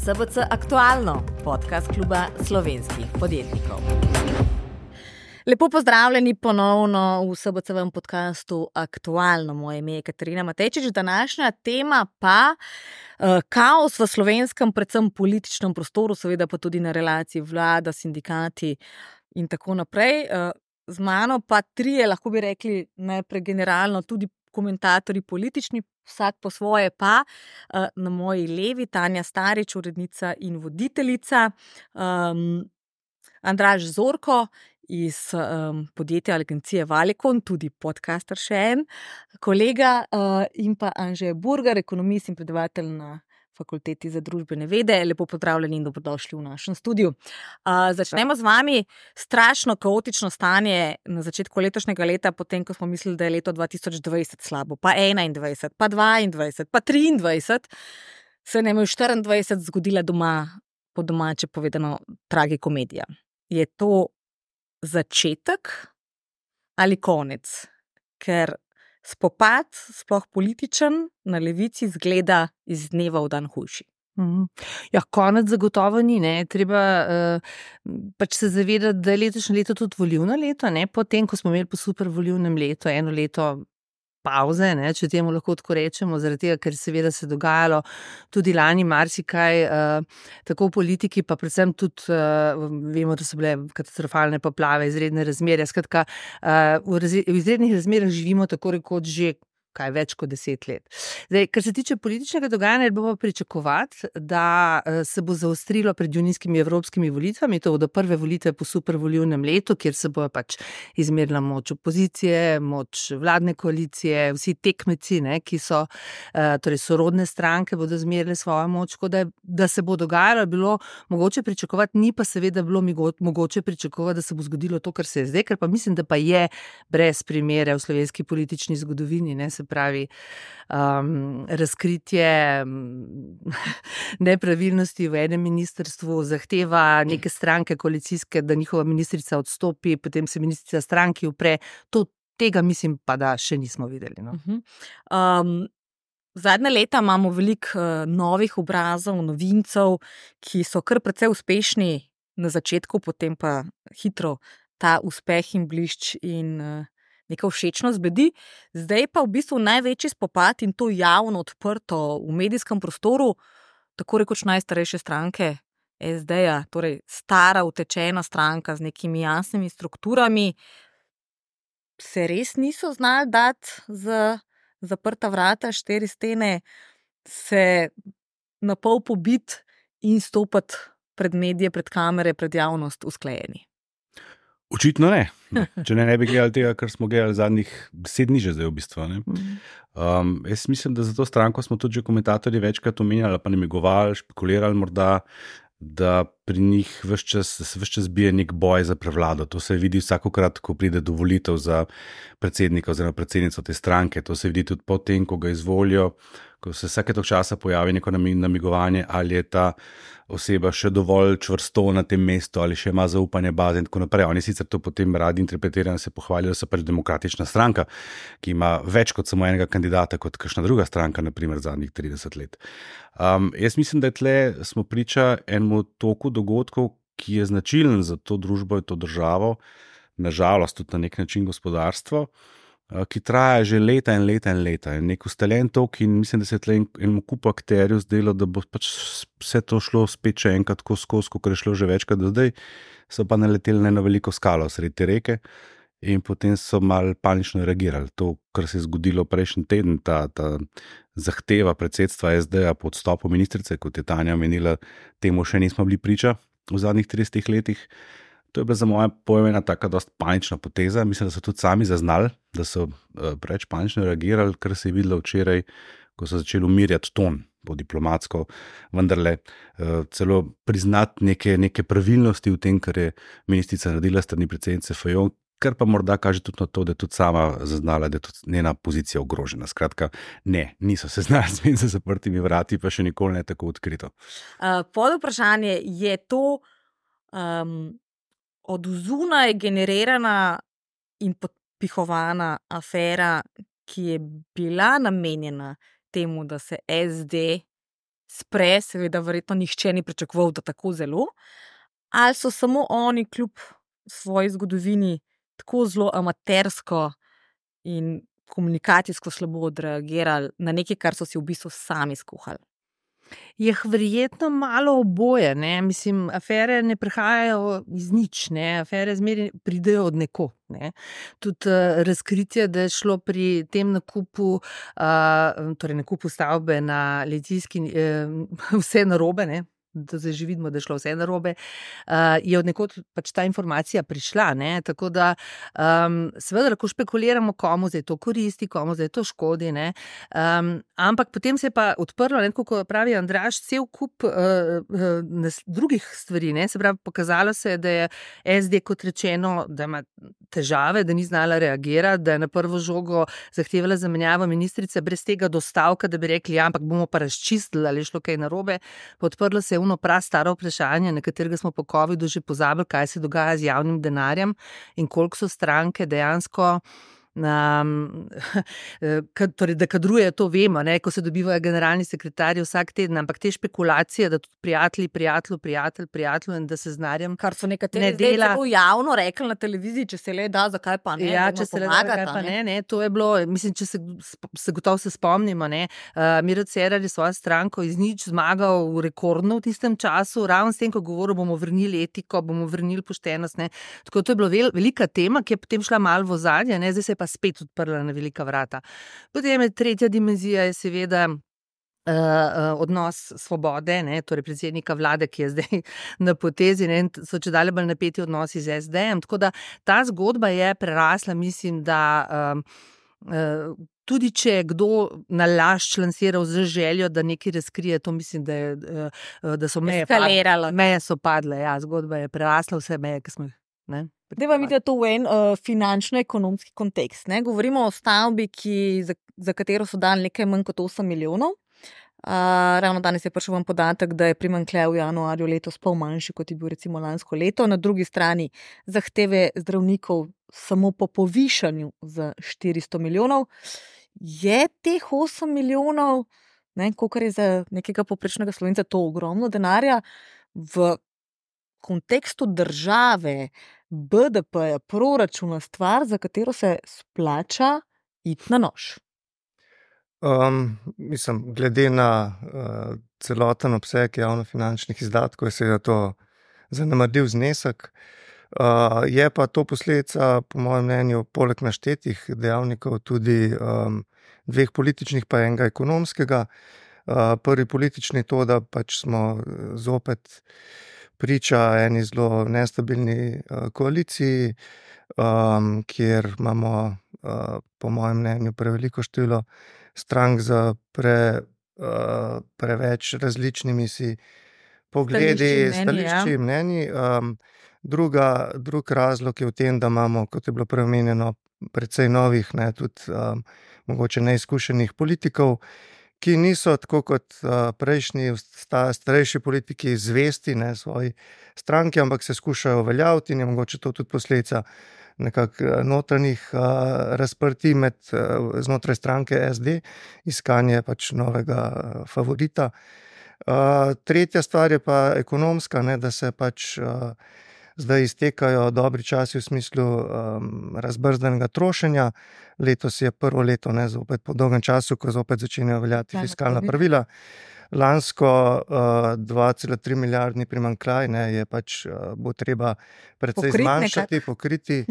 SBC Aktualno, podcast kluba slovenskih podjetnikov. Lepo pozdravljeni ponovno v SBC-vem podcastu Aktualno. Moje ime je Katarina Matejčič, današnja tema pa kaos v slovenskem, predvsem političnem prostoru, seveda pa tudi na relaciji vlada, sindikati in tako naprej. Z mano pa trije, lahko bi rekli najprej generalno, tudi komentatorji politični, vsak po svoje pa. Na moji levi Tanja Starič, urednica in voditeljica, Andraž Zorko iz podjetja agencije Valicon, tudi podcaster še en kolega, in pa Anže Burgar, ekonomist in predavatelj na Fakulteti za družbene vede. Lepo pozdravljeni in dobrodošli v našem studiu. Začnemo z vami. Strašno kaotično stanje na začetku letošnjega leta, potem ko smo mislili, da je leto 2020 slabo, pa 2021, pa 2022, pa 2023, se nam je v 2024 zgodila doma, po domače povedano, tragikomedija. Je to začetek ali konec? Ker spopad, sploh političen, na levici zgleda iz dneva v dan hujši. Ja, konec zagotovo ni, ne. Treba pač se zavedati, da je letošnje leto tudi volilno leto, ne. Potem, ko smo imeli po super volilnem letu eno leto pauze, ne, če temu lahko tako rečemo, zaradi tega, ker seveda se dogajalo tudi lani marsikaj, tako v politiki, pa predvsem tudi vemo, da so bile katastrofalne poplave, izredne razmere. Skratka, v izrednih razmerah živimo tako rekoč že več kot 10 let. Zdaj, kar se tiče političnega dogajanja, bo pa pričakovati, da se bo zaostrilo pred junijskimi evropskimi volitvami, to bodo prve volitve po super volilnem letu, kjer se bo pač izmerila moč opozicije, moč vladne koalicije, vsi tekmeci, ne, ki so, torej sorodne stranke, bodo zmerile svojo moč, da se bo dogajalo, bilo mogoče pričakovati, ni pa seveda bilo mogoče pričakovati, da se bo zgodilo to, kar se je zdaj, ker pa mislim, da pa je brez primere v slovenski politični zgodovini, ne, se pravi, razkritje nepravilnosti v enem ministrstvu, zahteva neke stranke koalicijske, da njihova ministrica odstopi, potem se ministrica stranki upre. Tega mislim pa, da še nismo videli. No. Zadnja leta imamo veliko novih obrazov, novincev, ki so kar precej uspešni na začetku, potem pa hitro ta uspeh in blišč in neka všečnost zbedi. Zdaj pa v bistvu največji spopad, in to javno odprto v medijskem prostoru, tako rekoč najstarejše stranke SD-ja, torej stara utečena stranka z nekimi jasnimi strukturami, se res niso znali dati za zaprta vrata, 4 stene, se na pol pobiti in stopiti pred medije, pred kamere, pred javnost usklajeni. Očitno ne. Če ne bi gledali tega, kar smo gledali zadnjih 10 dni že zdaj v bistvu. Ne? Jaz mislim, da za to stranko smo tudi že komentatorji večkrat omenjali, pa namigovali, špekulirali morda, da pri njih ves čas bije nek boj za prevlado. To se vidi vsakokrat, ko pride do volitev za predsednika oziroma predsednico te stranke. To se vidi tudi potem, ko ga izvolijo, ko se vsake toliko časa pojavi neko namigovanje, ali je ta oseba še dovolj čvrsto na tem mestu, ali še ima zaupanje baze in tako naprej. Oni sicer to potem radi interpretirajo, se pohvalijo, da so pač demokratična stranka, ki ima več kot samo enega kandidata, kot kakšna druga stranka, naprimer zadnjih 30 let. Jaz mislim, da tle smo priča enemu toku dogodkov, ki je značilen za to družbo in to državo, nažalost tudi na nek način gospodarstvo, ki traja že leta in leta in leta. Je nek ustaljen tok in mislim, da se je tle enemu kupu akterjev zdelo, da bo pač vse to šlo spet še enkrat skozi, kot je šlo že večkrat do zdaj, so pa naleteli na eno veliko skalo sredi te reke in potem so malo panično reagirali. To, kar se je zgodilo prejšnji teden, ta zahteva predsedstva SD-ja po odstopu ministrice, kot je Tanja omenila, temu še nismo bili priča v zadnjih 30 letih. To je bila za moje pojme ena taka dost panična poteza. Mislim, da so tudi sami zaznali, da so preveč panično reagirali, kar se je videlo včeraj, ko so začeli umirjati ton po diplomatsko, vendarle celo priznati neke pravilnosti v tem, kar je ministrica naredila strani predsednice Fajon, kar pa morda kaže tudi na to, da je tudi sama zaznala, da je tudi njena pozicija ogrožena. Skratka, ne, niso se znali zmeniti za zaprtimi vrati, pa še nikoli ne tako odkrito. Pod vprašanje, je to od zunaj generirana in podpihovana afera, ki je bila namenjena temu, da se SD spre, seveda verjetno nihče ni pričakoval, da tako zelo, ali so samo oni kljub svoji zgodovini tako zelo amatersko in komunikacijsko slabo odreagirali na nekaj, kar so si v bistvu sami skuhali. Je verjetno malo oboje, ne? Mislim, afere ne prihajajo iz nič, ne? Afere zmeraj pridejo od nekod. Ne? Tudi razkritje, da je šlo pri tem nakupu, torej nakupu stavbe na Litijski, vse narobe, ne? Da zdaj že vidimo, da je šlo vse narobe, je od nekod pač ta informacija prišla, ne, tako da seveda lahko špekuliramo, komu zdaj to koristi, komu zdaj to škodi, ne, ampak potem se je pa odprlo, ne, kot pravi Andraž, cel kup drugih stvari, ne, se pravi, pokazalo se je, da je SD, kot rečeno, da ima težave, da ni znala reagirati, da je na prvo žogo zahtevala zamenjavo ministrice brez tega dostavka, da bi rekli, ja, ampak bomo pa razčistili, ali je šlo kaj narobe, pa odprlo se je prastaro vprašanje, na katerega smo po covidu že pozabili, kaj se dogaja z javnim denarjem in koliko so stranke dejansko torej, da kadruje, to vemo, ne, ko se dobivajo generalni sekretarji vsak teden, ampak te špekulacije, da tudi prijatelj in da se z denarjem kar so nekateri zdaj tako javno rekli na televiziji, če se le da, zakaj pa ne, ja, če se le da, zakaj pa ne, to je bilo, mislim, če se gotovo se spomnimo, ne, Miro Cerar je svojo stranko iz nič zmagal rekordno v tistem času, ravno s tem, ko govoril, bomo vrnili etiko, bomo vrnili poštenost, ne, tako to je bilo velika tema, ki je potem šla malo v ozadje, ne, zdaj se pa spet odprla na velika vrata. Potem je tretja dimenzija je seveda odnos Svobode, ne, torej predsednika vlade, ki je zdaj na potezi, ne, so čedalje bolj napeti odnosi z SD-jem, tako da ta zgodba je prerasla, mislim, da tudi če je kdo nalašč lansiral z željo, da nekaj razkrije, to mislim, da so meje so padle, ja, zgodba je prerasla vse meje, ki smo jih, ne. Deva videti to v en finančno-ekonomski kontekst. Ne? Govorimo o stavbi, za katero so dali nekaj manj kot 8 milijonov. Ravno danes je prišel vam podatek, da je primanjkljaj v januarju letos pol manjši, kot je bil recimo lansko leto. Na drugi strani zahteve zdravnikov samo po povišanju za 400 milijonov. Je teh 8 milijonov, kolikor je za nekega povprečnega Slovenca, to ogromno denarja, v kontekstu države, BDP-ja, proračuna, stvar, za katero se splača iti na nož? Mislim, glede na celoten obseg javnofinančnih izdatkov, je seveda to zanemarljiv znesek. Je pa to posledica, po mojem mnenju, poleg naštetih dejavnikov tudi dveh političnih, pa enega ekonomskega. Prvi politični to, da pač smo zopet priča eni zelo nestabilni koaliciji, kjer imamo, po mojem mnenju, preveliko število strank z preveč različnimi si pogledi, stališči, mnenji. Drug razlog je v tem, da imamo, kot je bilo preomenjeno, precej novih, ne, tudi mogoče neizkušenih politikov, ki niso tako kot prejšnji starejši politiki zvesti, ne, svoji stranki, ampak se skušajo uveljaviti in je mogoče to tudi posledica nekako notranjih razprtij znotraj stranke SD, iskanje pač novega favorita. Tretja stvar je pa ekonomska, ne, da se pač zdaj iztekajo dobri časi v smislu razbrzdanega trošenja. Letos je prvo leto, ne, zopet po dolgem času, ko zopet začenjajo veljati fiskalna pravila. Lansko 2,3 milijardni primanjkljaj, ne, je pač bo treba precej zmanjšati, pokriti.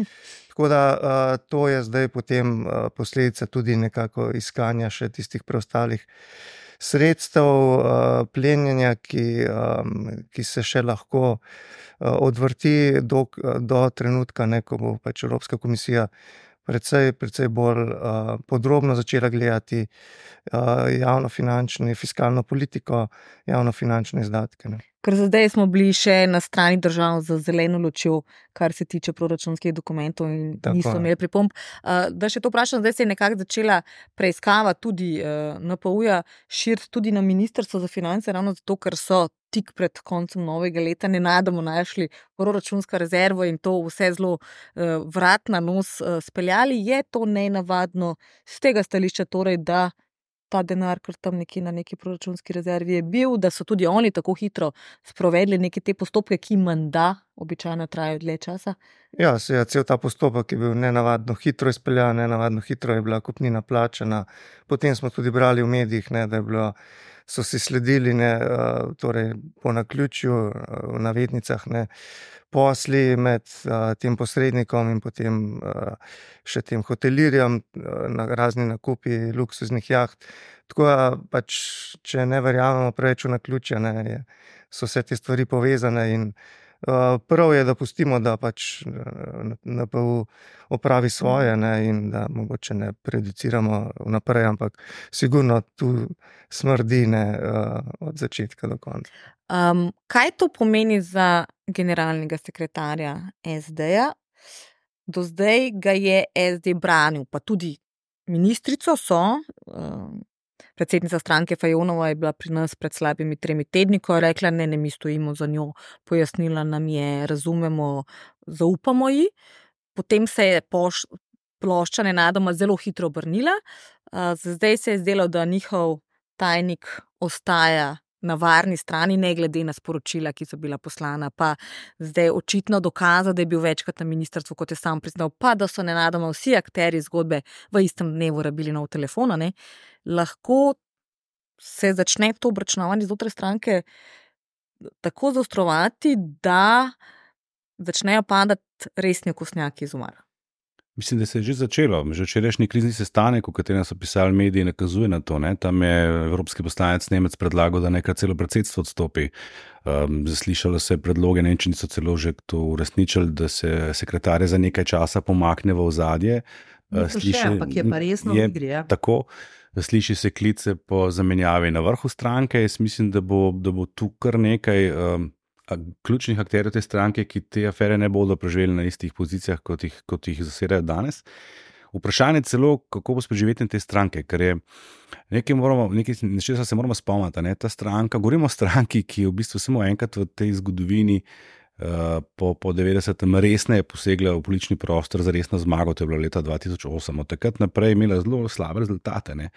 Tako da to je zdaj potem posledica tudi nekako iskanja še tistih preostalih sredstev, plenjenja, ki se še lahko odvrti do trenutka, ne, ko bo pač Evropska komisija precej bolj podrobno začela gledati javnofinančno, fiskalno politiko, javnofinančne izdatke. Ne. Ker za zdaj smo bili še na strani držav z zeleno lučjo, kar se tiče proračunskih dokumentov in niso imeli pripomb. Da še to vprašam, zdaj se je nekako začela preiskava tudi NPU-ja širiti tudi na Ministrstvo za finance, ravno zato, ker so tik pred koncem novega leta nenadoma našli proračunska rezerva in to vse zelo vrat na nos speljali. Je to nenavadno z tega stališča torej, da ta denar, ker tam nekje na neki proračunski rezervi je bil, da so tudi oni tako hitro sprovedli neke te postopke, ki menda običajno trajajo dlje časa? Ja, cel ta postopek je bil nenavadno hitro izpeljan, nenavadno hitro je bila kupnina plačana. Potem smo tudi brali v medijih, ne, da je bilo, so si sledili, ne, torej po naključju, v navednicah, ne, posli med tem posrednikom in potem še tem hotelirjem, razni nakupi luksuznih jaht. Tako da pač, če ne verjamemo preveč v naključje, ne, so vse te stvari povezane in prav je, da pustimo, da pač NPU opravi svoje, ne, in da mogoče ne prejudiciramo vnaprej, ampak sigurno tu smrdi, ne, od začetka do konca. Kaj to pomeni za generalnega sekretarja SD-ja? Do zdaj ga je SD branil, pa tudi ministrico so. Predsednica stranke Fajonova je bila pri nas pred slabimi 3 tedni, ko je rekla, ne, mi stojimo za njo, pojasnila nam je, razumemo, zaupamo ji. Potem se je plošča nenadoma zelo hitro obrnila. Zdaj se je zdelo, da njihov tajnik ostaja na varni strani, ne glede na sporočila, ki so bila poslana, pa zdaj očitno dokaza, da je bil večkrat na ministrstvu, kot je sam priznal, pa da so nenadoma vsi akterji zgodbe v istem dnevu rabili nov telefon, ne. Lahko se začne to obračunavanje znotraj stranke tako zaostrovati, da začnejo padati resni okostnjaki iz omara. Mislim, da se je že začelo. Že včerajšnji krizni sestanek, v katerem so pisali mediji, nakazuje na to. Ne? Tam je evropski poslanec Nemec predlagal, da neka celo predsedstvo odstopi. Zaslišalo se predloge, Nemčani so celo že to uresničili, da se sekretarje za nekaj časa pomakne v ozadje. Ampak je pa resno v igri. Tako. Sliši se klice po zamenjavi na vrhu stranke. Jaz mislim, da bo tu kar nekaj ključnih akterjev te stranke, ki te afere ne bodo preživeli na istih pozicijah, kot jih zasedajo danes. Vprašanje celo, kako bo s preživetjem te stranke, ker je nečesa se moramo spomniti. Ne? Ta stranka, govorimo o stranki, ki je v bistvu samo enkrat v tej zgodovini po 90. resneje posegla v politični prostor za resno zmago, to je bilo leta 2008. Od takrat naprej je imela zelo slabe rezultate. Ne?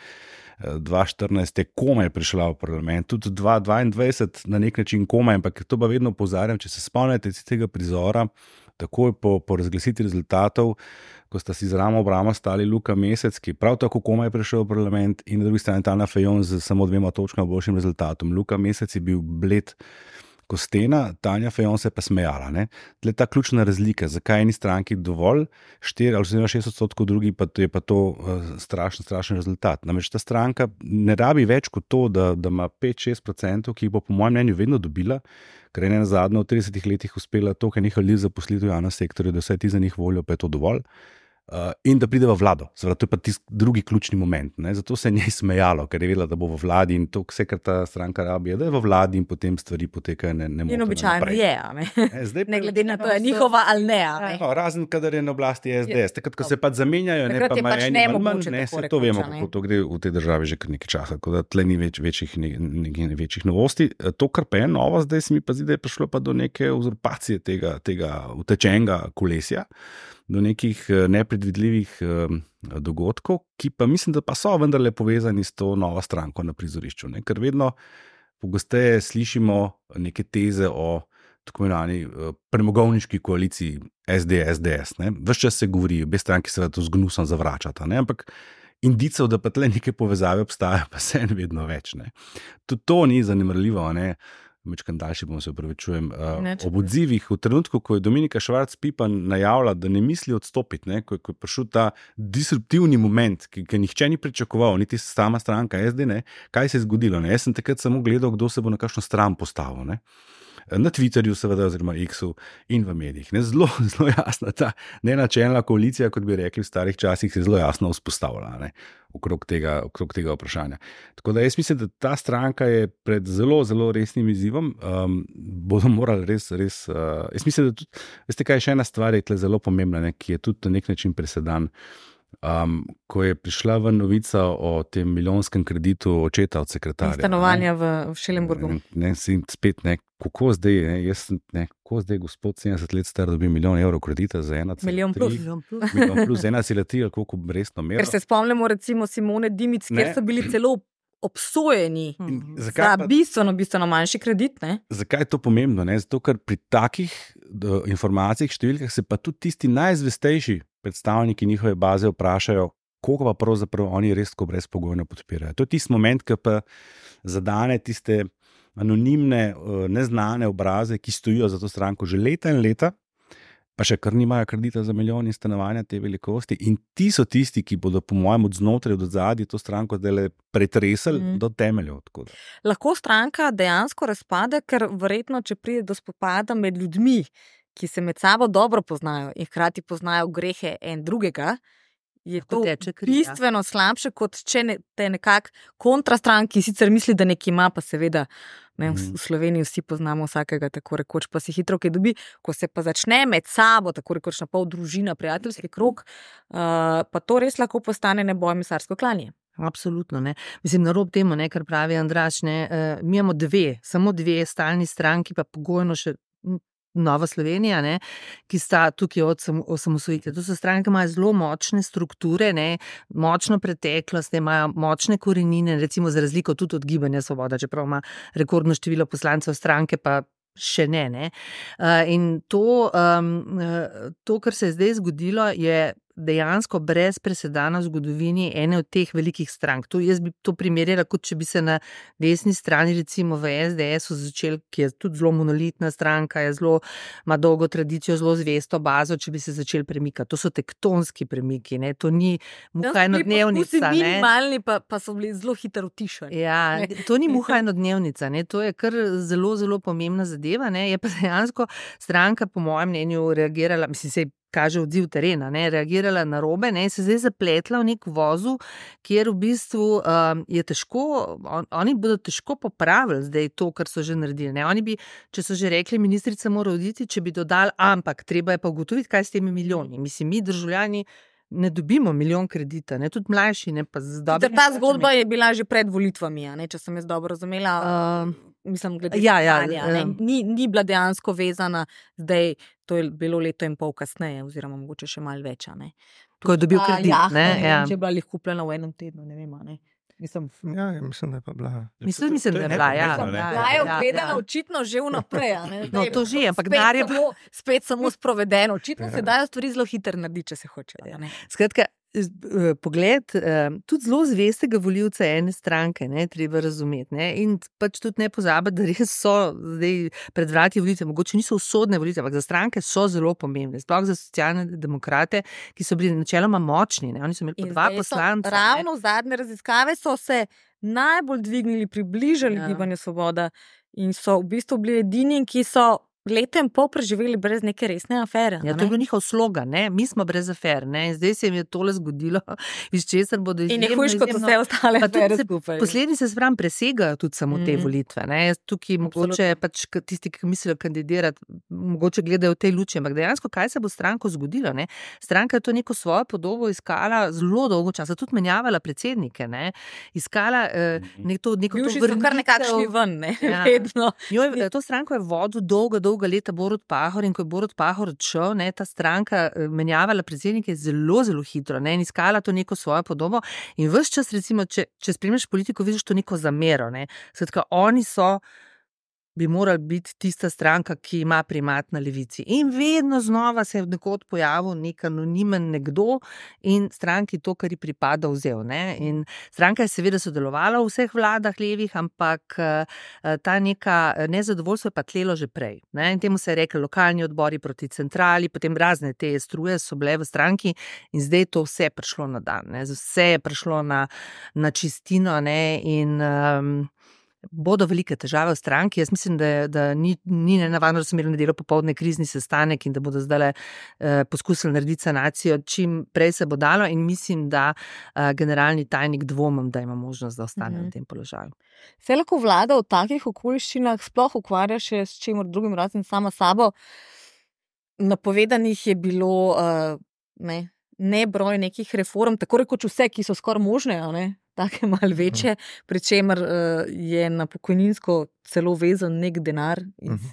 2014 je komaj prišla v parlament, tudi 2022 na nek način komaj, ampak to pa vedno opozarjam, če se spomnite tega prizora, takoj po razglasitvi rezultatov, ko sta si z ramo ob ramo stali Luka Mesec, ki prav tako komaj prišel v parlament, in na drugi strani Tanja Fajon z samo 2 točkami boljšim rezultatom. Luka Mesec je bil bled ko stena, Tanja Fajon se je pa smejala. Tle ta ključna razlika, zakaj eni stranki dovolj, 4 ali 6%, drugi pa je pa to strašen rezultat. Namreč ta stranka ne rabi več kot to, da ima 5-6%, ki jih bo po mojem mnenju vedno dobila, ker je nazadnje v 30 letih uspela toliko enih ljudi zaposliti v javnem sektorju, da vse ti za njih volijo, pa je to dovolj. In da pride v vlado. Seveda, to je pa tisti drugi ključni moment. Ne? Zato se je njej smejalo, ker je vedela, da bo v vladi, in to vse, kar ta stranka rabi, je, da je v vladi in potem stvari potekajo nemoteno. In običajno je, ne glede na to, je njihova ali ne. No, razen, kadar je na oblasti SDS. Takrat, ko se pa zamenjajo, ne pa imajo eni manj, se to vemo, kako to gre v tej državi že kar nekaj časa, tako da tle ni večjih novosti. To, kar pa je novo, zdaj se mi pa zdi, da je prišlo pa do neke uzurpacije tega utečenega kolesja, do nekih nepredvidljivih dogodkov, ki pa mislim, da pa so vendarle povezani s to novo stranko na prizorišču. Ne? Ker vedno pogosteje slišimo neke teze o tako imenovani premogovniški koaliciji SD-SDS. Ves čas se govori, obe stranki seveda to z gnusom zavračata, ne? Ampak indicev, da pa tle neke povezave obstajajo, pa se vedno več. Ne? Tudi to ni zanemarljivo, ne? Mečkam daljši bom, se upravičujem. Ob odzivih v trenutku, ko je Dominika Švarc-Pipan najavila, da ne misli odstopiti, ne, ko je prišel ta disruptivni moment, ki nihče ni pričakoval, niti sama stranka SD, ne, kaj se je zgodilo. Ne. Jaz sem takrat samo gledal, kdo se bo na kakšno stran postavil. Ne. Na Twitterju, seveda, oziroma X-u in v medijih. Ne, zelo jasna ta nenačelna koalicija, kot bi rekli v starih časih, se je zelo jasno vzpostavila, ne, okrog tega vprašanja. Tako da jaz mislim, da ta stranka je pred zelo, zelo resnim izzivom. Bodo morali res, jaz mislim, da tudi, veste kaj, še ena stvar je tle zelo pomembna, ne, ki je tudi na nek način presedan. ko je prišla ven novica o tem milijonskem kreditu očeta od sekretarja. Stanovanja v Schellenburgu. Spet kako zdaj, kako zdaj gospod 70 let star dobi €1 milijon kredita za 1,3. Milijon plus. Milijon plus 1,3, koliko resno mero. Ker se spomnimo recimo Simone Dimic, kjer so bili celo obsojeni za bistveno manjši kredit. Ne? Zakaj je to pomembno? Ne? Zato, ker pri takih informacijah, številkah se pa tudi tisti najzvestejši predstavniki njihove baze vprašajo, koliko pa pravzaprav oni res tako brezpogojno podpirajo. To je tisti moment, ki pa zadane tiste anonimne, neznane obraze, ki stojijo za to stranko že leta in leta, pa še kar nimajo kredita za milijon in stanovanja te velikosti. In ti so tisti, ki bodo po mojem od znotraj, od zadaj to stranko zdaj pretresali do temeljev. Lahko stranka dejansko razpade, ker verjetno, če pride do spopada med ljudmi, ki se med sabo dobro poznajo in hkrati poznajo grehe en drugega, je to bistveno slabše, kot če te nekak kontrastran, ki sicer misli, da nekaj ima, pa seveda v Sloveniji vsi poznamo vsakega tako rekoč, pa si hitro kaj dobi, ko se pa začne med sabo, tako rekoč na pol družina, prijateljski krog, pa to res lahko postane nebojmisarsko klanje. Absolutno, ne. Mislim, na rob temu, ne, kar pravi Andraž, ne, mi imamo samo dve stalni stranki, pa pogojno še Nova Slovenija, ne, ki sta tukaj od osamosvojitve. To so stranke, ki imajo zelo močne strukture, ne, močno preteklost, ne, imajo močne korenine, recimo za razliko tudi od Gibanja Svoboda, čeprav ima rekordno število poslancev stranke, pa še ne. In to, kar se je zdaj zgodilo, je dejansko brez presedana v zgodovini ene od teh velikih strank. Jaz bi to primerjala, kot če bi se na desni strani, recimo v SDS-u začel, ki je tudi zelo monolitna stranka, ima dolgo tradicijo, zelo zvesto bazo, če bi se začel premikati. To so tektonski premiki, ne? To ni muha enodnevnica. Minimalni, pa so bili zelo hitro utišani. Ja, to ni muha enodnevnica, ne? To je kar zelo, zelo pomembna zadeva, ne? Je pa dejansko stranka, po mojem mnenju, reagirala, mislim, se kaže odziv terena, ne, reagirala na robe, ne, se zdaj zapletla v nek vozu, kjer v bistvu je težko, oni bodo težko popravili zdaj to, kar so že naredili, ne, oni bi, če so že rekli, ministrica mora oditi, če bi dodali, ampak treba je pa ugotoviti, kaj s temi milijoni. Mislim, mi državljani ne dobimo milijon kredita, ne, tudi mlajši, ne, pa z dobrimi. Ta zgodba je bila že pred volitvami, ne, če sem jaz dobro razumela. Mislim, glede stanja, ni bila dejansko vezana, zdaj to je bilo leto in pol kasneje, oziroma mogoče še malo več. Ko je dobil kredit, ne? Če je bila jih kupljena v enem tednu, ne vem, ne. Mislim, da je pa bila. Mislim, da je bila, ja. Bila je obvedena očitno že vnaprej, ne. No, to že, ampak denar je spet samo sprovedeno. Očitno se dajo stvari zelo hitro narediti, če se hoče. Skratka, pogled, tudi zelo zvestega volivca ene stranke, ne, treba razumeti, ne, in pač tudi ne pozabiti, da res so zdaj pred vrati volitve, mogoče niso usodne volitve, ampak za stranke so zelo pomembne, sploh za socialne demokrate, ki so bili načeloma močni, ne, oni so imeli po 2 poslanca. Ravno v zadnje raziskave so se najbolj dvignili, približali Gibanju Svoboda in so v bistvu bili edini, ki so leto in pol preživeli brez neke resne afere. Ja, to je bil njihov slogan, ne? Mi smo brez afer, ne? In zdaj se jim je tole zgodilo, iz česar bodo izjemno. In je hujš kot vse ostale afere skupaj. Posledice se pravi presegajo tudi samo te volitve, ne? Tukaj mogoče pač tisti, ki mislijo kandidirati, mogoče gledajo v tej luči, ampak dejansko, kaj se bo stranko zgodilo, ne? Stranka je to neko svojo podobo iskala zelo dolgo časa, tudi menjavala predsednike, ne? Iskala neko to vrnitev. So kar nekakšni ven, ne? Ja. Vedno. To stranko je vodil dolgo leta Borut Pahor in ko je Borut Pahor odšel, ne, ta stranka menjavala predsednike zelo, zelo hitro, ne, in iskala to neko svojo podobo in ves čas, recimo, če spremljaš politiko, vidiš to neko zamero, ne, skratka, oni bi morali biti tista stranka, ki ima primat na levici. In vedno znova se je nekod pojavil nek anonimen nekdo in stranki to, kar ji pripada, vzel, ne. In stranka je seveda sodelovala v vseh vladah levih, ampak ta neka nezadovoljstvo je pa tlelo že prej, ne. In temu se je rekel lokalni odbori proti centrali, potem razne te struje so bile v stranki in zdaj to vse je prišlo na dan, ne. Vse je prišlo na čistino, ne, in bodo velike težave v stranki. Jaz mislim, da ni nenavadno, da so imeli v nedeljo popoldne krizni sestanek in da bodo zdaj poskusili narediti sanacijo, čim prej se bo dalo in mislim, da generalni tajnik dvomim, da ima možnost, da ostane na tem položaju. Se lahko vlada v takih okoliščinah sploh ukvarja še s čemer drugim razen sama sabo? Napovedanih je bilo nebroj nekih reform, tako rekoč vse, ki so skoraj možne, take malo večje, pri čemer je na pokojninsko celo vezan nek denar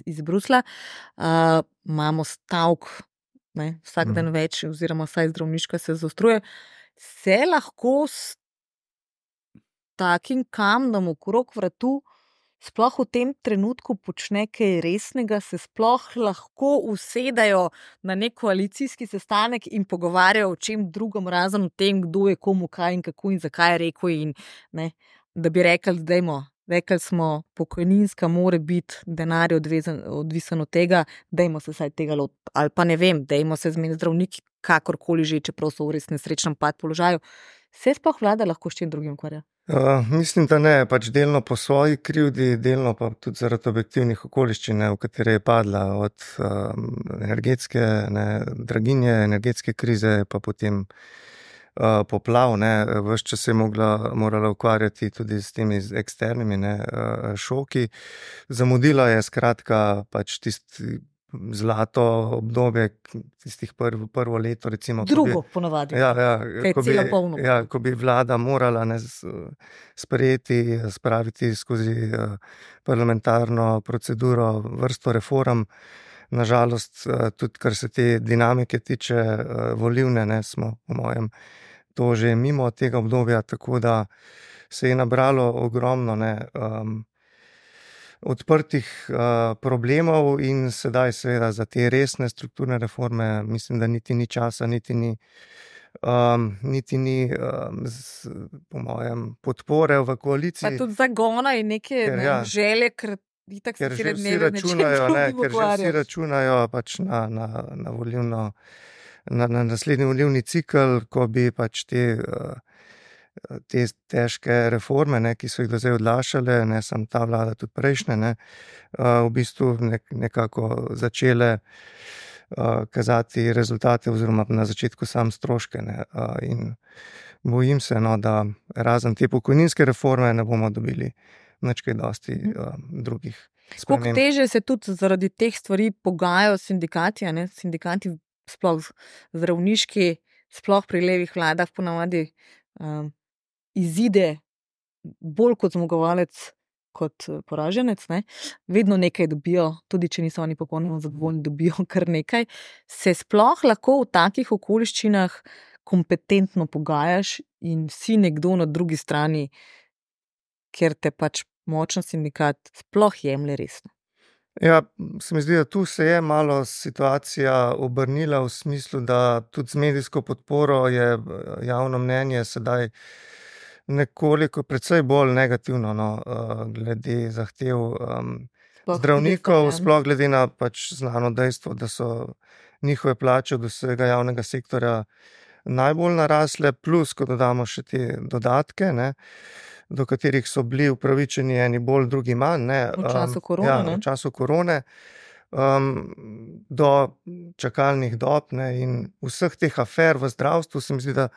iz Brusla. Imamo stavk, vsak dan več, oziroma vsaj zdravniška se zaostruje. Se lahko s takim kamnom okrog vratu sploh v tem trenutku počne kaj resnega, se sploh lahko usedajo na nek koalicijski sestanek in pogovarjajo o čem drugom, razen o tem, kdo je komu kaj in kako in zakaj je rekel, in da bi rekli smo, pokojninska mora biti denar odvisen od tega, dajmo se vsaj tega lotiti, ali pa ne vem, dajmo se zmeniti zdravniki, kakorkoli že, čeprav so v res nesrečnem položaju. Se sploh vlada lahko s čim drugim ukvarja? Mislim, da ne, pač delno po svoji krivdi, delno pa tudi zaradi objektivnih okoliščin, v katere je padla, od energetske draginje, energetske krize, pa potem poplav, ves čas se je morala ukvarjati tudi s temi eksternimi šoki. Zamudila je skratka pač tisti zlato obdobje, tistih prvo leto, recimo. Drugo ponavadi. Ko bi vlada morala spraviti skozi parlamentarno proceduro vrsto reform. Nažalost, tudi kar se te dinamike tiče volilne, smo po mojem to že mimo tega obdobja, tako da se je nabralo ogromno odprtih problemov in sedaj seveda za te resne strukturne reforme mislim, da niti ni časa, niti ni po mojem podpore v koaliciji. Pa tudi zagona in neke želje, ker že vsi računajo pač na volilno, na naslednji volilni cikel, ko bi pač te težke reforme, ki so jih do zdaj odlašale, ne samo ta vlada, tudi prejšnje, v bistvu nekako začele kazati rezultate oziroma na začetku sam stroške. In bojim se, da razen te pokojninske reforme ne bomo dobili nič kaj dosti drugih sprememb. Koliko teže se tudi zaradi teh stvari pogajajo sindikati, sindikati sploh zdravniški, sploh pri levih vladah ponavadi izide bolj kot zmagovalec, kot poraženec, vedno nekaj dobijo, tudi če niso oni popolnoma zadovoljni, dobijo kar nekaj. Se sploh lahko v takih okoliščinah kompetentno pogajaš in si nekdo na drugi strani, ker te pač močen sindikat sploh jemlje resno? Ja, se mi zdi, da tu se je malo situacija obrnila v smislu, da tudi z medijsko podporo je javno mnenje sedaj nekoliko precej bolj negativno glede zahtev zdravnikov, sploh glede na pač znano dejstvo, da so njihove plače od vsega javnega sektorja najbolj narasle, plus, ko dodamo še te dodatke, do katerih so bili upravičeni eni bolj, drugi manj. V času korone. V času korone. Do čakalnih dob in vseh teh afer v zdravstvu se mi zdi, da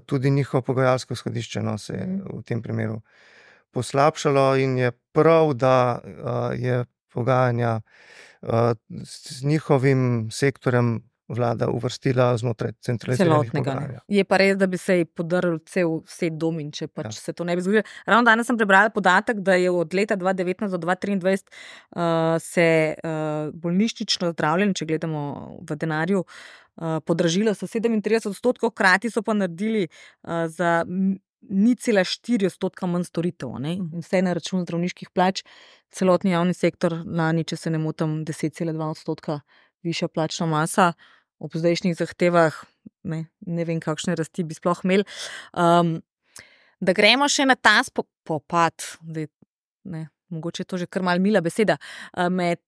tudi njihovo pogajalsko izhodišče se je v tem primeru poslabšalo in je prav, da je pogajanja z njihovim sektorjem vlada uvrstila znotraj centraliziranega pogajanja. Je pa res, da bi se ji podrl cel set dom in če pač se to ne bi zgodilo. Ravno danes sem prebrala podatek, da je od leta 2019 do 2023 se bolnišnično zdravljenje, če gledamo v denarju, podražilo so 37%, hkrati so pa naredili za 0,4% manj storitev. Vse na račun zdravniških plač, celotni javni sektor lani, če se ne motim, 10,2% višja plačna masa, ob zdajšnjih zahtevah, ne vem, kakšne rasti bi sploh imeli. Da gremo še na ta spopad, mogoče je to že kar mal mila beseda, med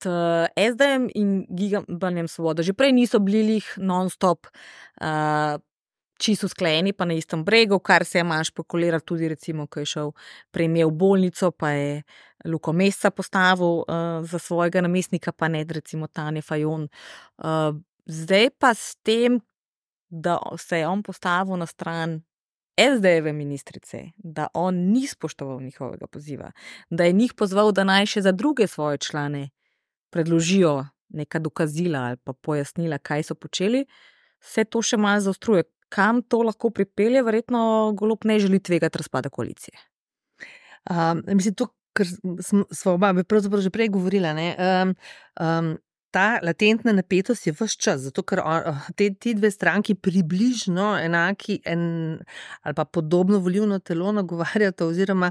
SD-jem in Gibanjem Svoboda. Že prej niso bili non-stop čisto usklajeni, pa na istem bregu, kar se je manj špekuliral tudi recimo, ko je šel premijer v bolnico, pa je Luko Mesca postavil za svojega namestnika, pa ne recimo Tanje Fajon. Zdaj pa s tem, da se je on postavil na stran SD-jeve ministrice, da on ni spoštoval njihovega poziva, da je njih pozval, da naj še za druge svoje člane predložijo neka dokazila ali pa pojasnila, kaj so počeli, se to še malo zaostruje. Kam to lahko pripelje? Verjetno Golob ne želi tvegati razpada koalicije. Mislim, to, kar smo oba pravzaprav že prej govorila, ne? Ta latentna napetost je ves čas, zato ker ti dve stranki približno enaki ali pa podobno volilno telo nagovarjata oziroma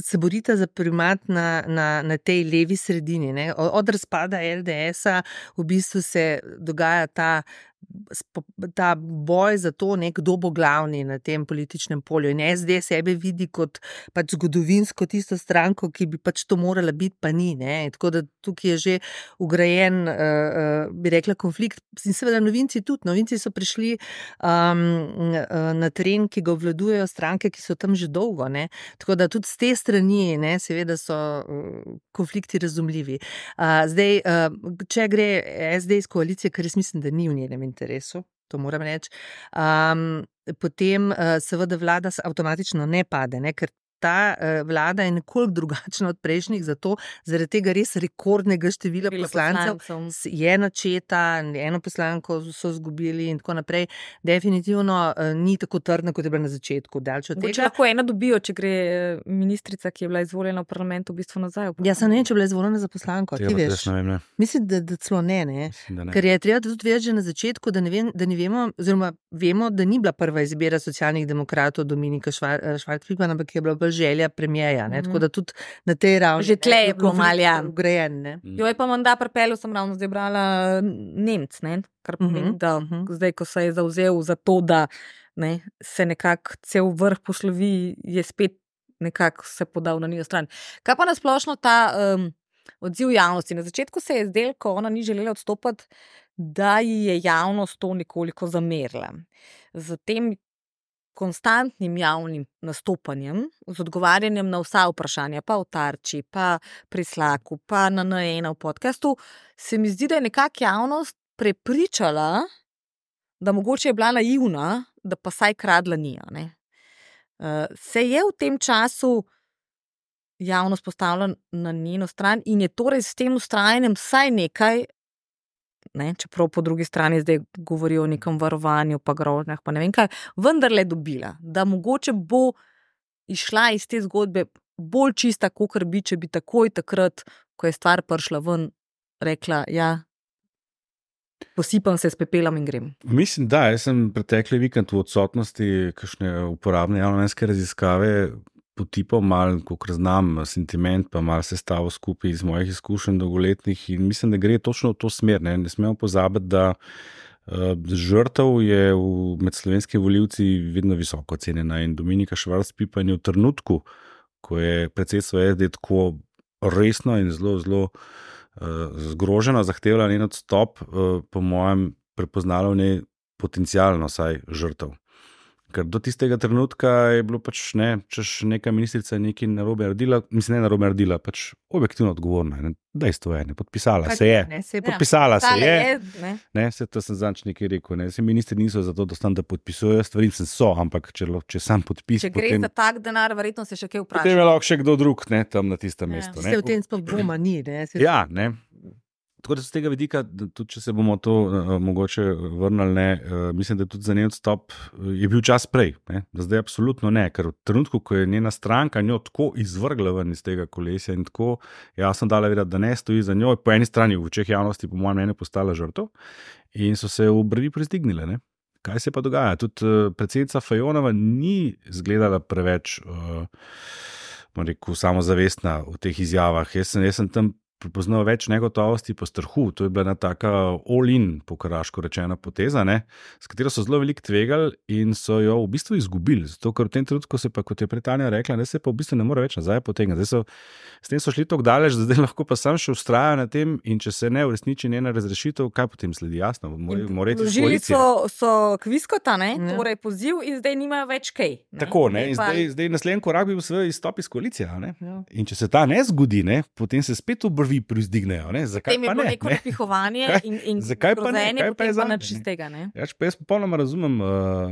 se borita za primat na tej levi sredini. Ne? Od razpada LDS-a v bistvu se dogaja ta boj za to, kdo bo glavni na tem političnem polju. In SD sebe vidi kot pač zgodovinsko tisto stranko, ki bi pač to morala biti, pa ni. Ne? Tako da tukaj je že ugrajen, bi rekla, konflikt. In seveda novinci tudi. Novinci so prišli na teren, ki ga obvladujejo stranke, ki so tam že dolgo. Ne? Tako da tudi z te strani, ne, seveda so konflikti razumljivi. Zdaj, če gre SD iz koalicije, ker jaz mislim, da ni v njenem interesu, to moram reči, potem seveda vlada avtomatično ne pade, ne, ker ta vlada je nekoliko drugačna od prejšnjih, zaradi tega res rekordnega števila poslancev je načeta, eno poslanko so izgubili in tako naprej. Definitivno ni tako trdna, kot je bila na začetku. Če lahko ena dobijo, če gre ministrica, ki je bila izvoljena v parlamentu, v bistvu nazaj. Jaz sem ne vem, če je bila izvoljena za poslanko. Ti veš? Mislim, da celo ne. Ker je treba tudi vedeti že na začetku, da ne vemo, oziroma vemo, da ni bila prva izbira socialnih demokratov Dominika Švarc-Pipan, ampak je bila želja premijeja, tako da tudi na tej ravni že tle je bilo malo ugrajen. Jo je pa menda pripeljal, sem ravno zdaj brala Nemc, kar pomeni, da zdaj, ko se je zavzel za to, da se nekako cel vrh poslovi, je spet nekako se podal na njo stran. Kaj pa nasplošno ta odziv javnosti? Na začetku se je zdelo, ko ona ni želela odstopati, da ji je javnost to nekoliko zamerila. Zatem konstantnim javnim nastopanjem, z odgovarjanjem na vsa vprašanja, pa v Tarči, pa pri Slaku, pa na N1 v podcastu, se mi zdi, da je nekako javnost prepričala, da mogoče je bila naivna, da pa saj kradla ni. Se je v tem času javnost postavila na njeno stran in je torej s tem vztrajanjem vsaj nekaj, čeprav po drugi strani zdaj govorijo o nekem varovanju, pa grožnjah, pa ne vem kaj, vendarle dobila, da mogoče bo išla iz te zgodbe bolj čista, kakor bi, če bi takoj takrat, ko je stvar prišla ven, rekla, ja, posipam se s pepelom in grem. Mislim, da, jaz sem pretekli vikend v odsotnosti kakšne uporabne javnomnenjske raziskave potipal malo, kolikor znam, sentiment, pa malo sestavo skupaj iz mojih izkušenj dolgoletnih in mislim, da gre točno v to smer. Ne smemo pozabiti, da žrtev je med slovenskimi volivci vedno visoko cenjena in Dominika Švarc-Pipan je v trenutku, ko je predsedstvo SD tako resno in zelo, zelo zgroženo zahtevala njen odstop, po mojem prepoznala v njej potencialno saj žrtev. Ker do tistega trenutka je bilo pač češ neka ministrica nekaj narobe naredila, mislim, ne narobe naredila, pač objektivno odgovorna. Dejstvo je, podpisala se je. Podpisala se je. Se to sem zanč nekaj rekel. Se ministri niso zato, da podpisujejo stvari, so, ampak če sam podpis. Če gre za tak denar, verjetno se še kaj vpraša. Potem je lahko še kdo drug tam na tistem mestu. Se v tem sploh dvoma ni. Ja, ne. Tako da z tega vidika, tudi če se bomo to mogoče vrnili, mislim, da tudi za njen odstop je bil čas prej. Zdaj absolutno ne, ker v trenutku, ko je njena stranka njo tako izvrgla ven iz tega kolesja in tako jasno dala vedeti, da ne stoji za njo, po eni strani v očeh javnosti po mojem mnenju postala žrtev in so se v brvi prestignile. Ne? Kaj se pa dogaja? Tudi predsednica Fajonova ni izgledala preveč samozavestna v teh izjavah. Jaz sem tam prepoznal več negotovosti po strahu. To je bila ena taka all-in, po karaško rečena poteza, s katero so zelo veliko tvegali in so jo v bistvu izgubili. Zato, ker v tem trenutku se pa, kot je Tanja rekla, da se pa v bistvu ne more več nazaj potegniti. S tem so šli tako daleč, da zdaj lahko pa sam še vztrajajo na tem in če se ne uresniči njena razrešitev, kaj potem sledi? Jasno, vložili so kviskota, torej poziv in zdaj nimajo več kaj. Tako, in zdaj naslednji korak bi bil seveda izstop iz koalicije. In če se ta ne zgodi, potem se spet obrvi novi proizdignejo. Zakaj pa ne? Neko napihovanje in grozenje, potem pa nič iz tega. Jaz popolnoma razumem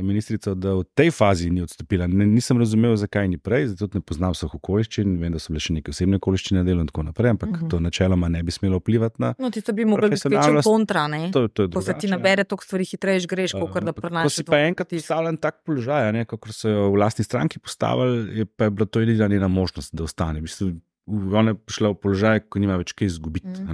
ministrico, da v tej fazi ni odstopila. Nisem razumel, zakaj ni prej, zato ne poznam vseh okoliščin, vem, da so bile še neke osebne okoliščine na delu in tako naprej, ampak to načeloma ne bi smelo vplivati na. No, tisto bi mogli biti večjo kontra, ne? To je ko se ti nabere toliko stvari hitreje greš, kakor da prenašaš. Ko si pa enkrat postavljen tak položaj, kakor so jo v lastni stranki postavili, pa je bila to edina njena možnost, da ostane. Ona je prišla v položaj, ko nima več kaj izgubiti.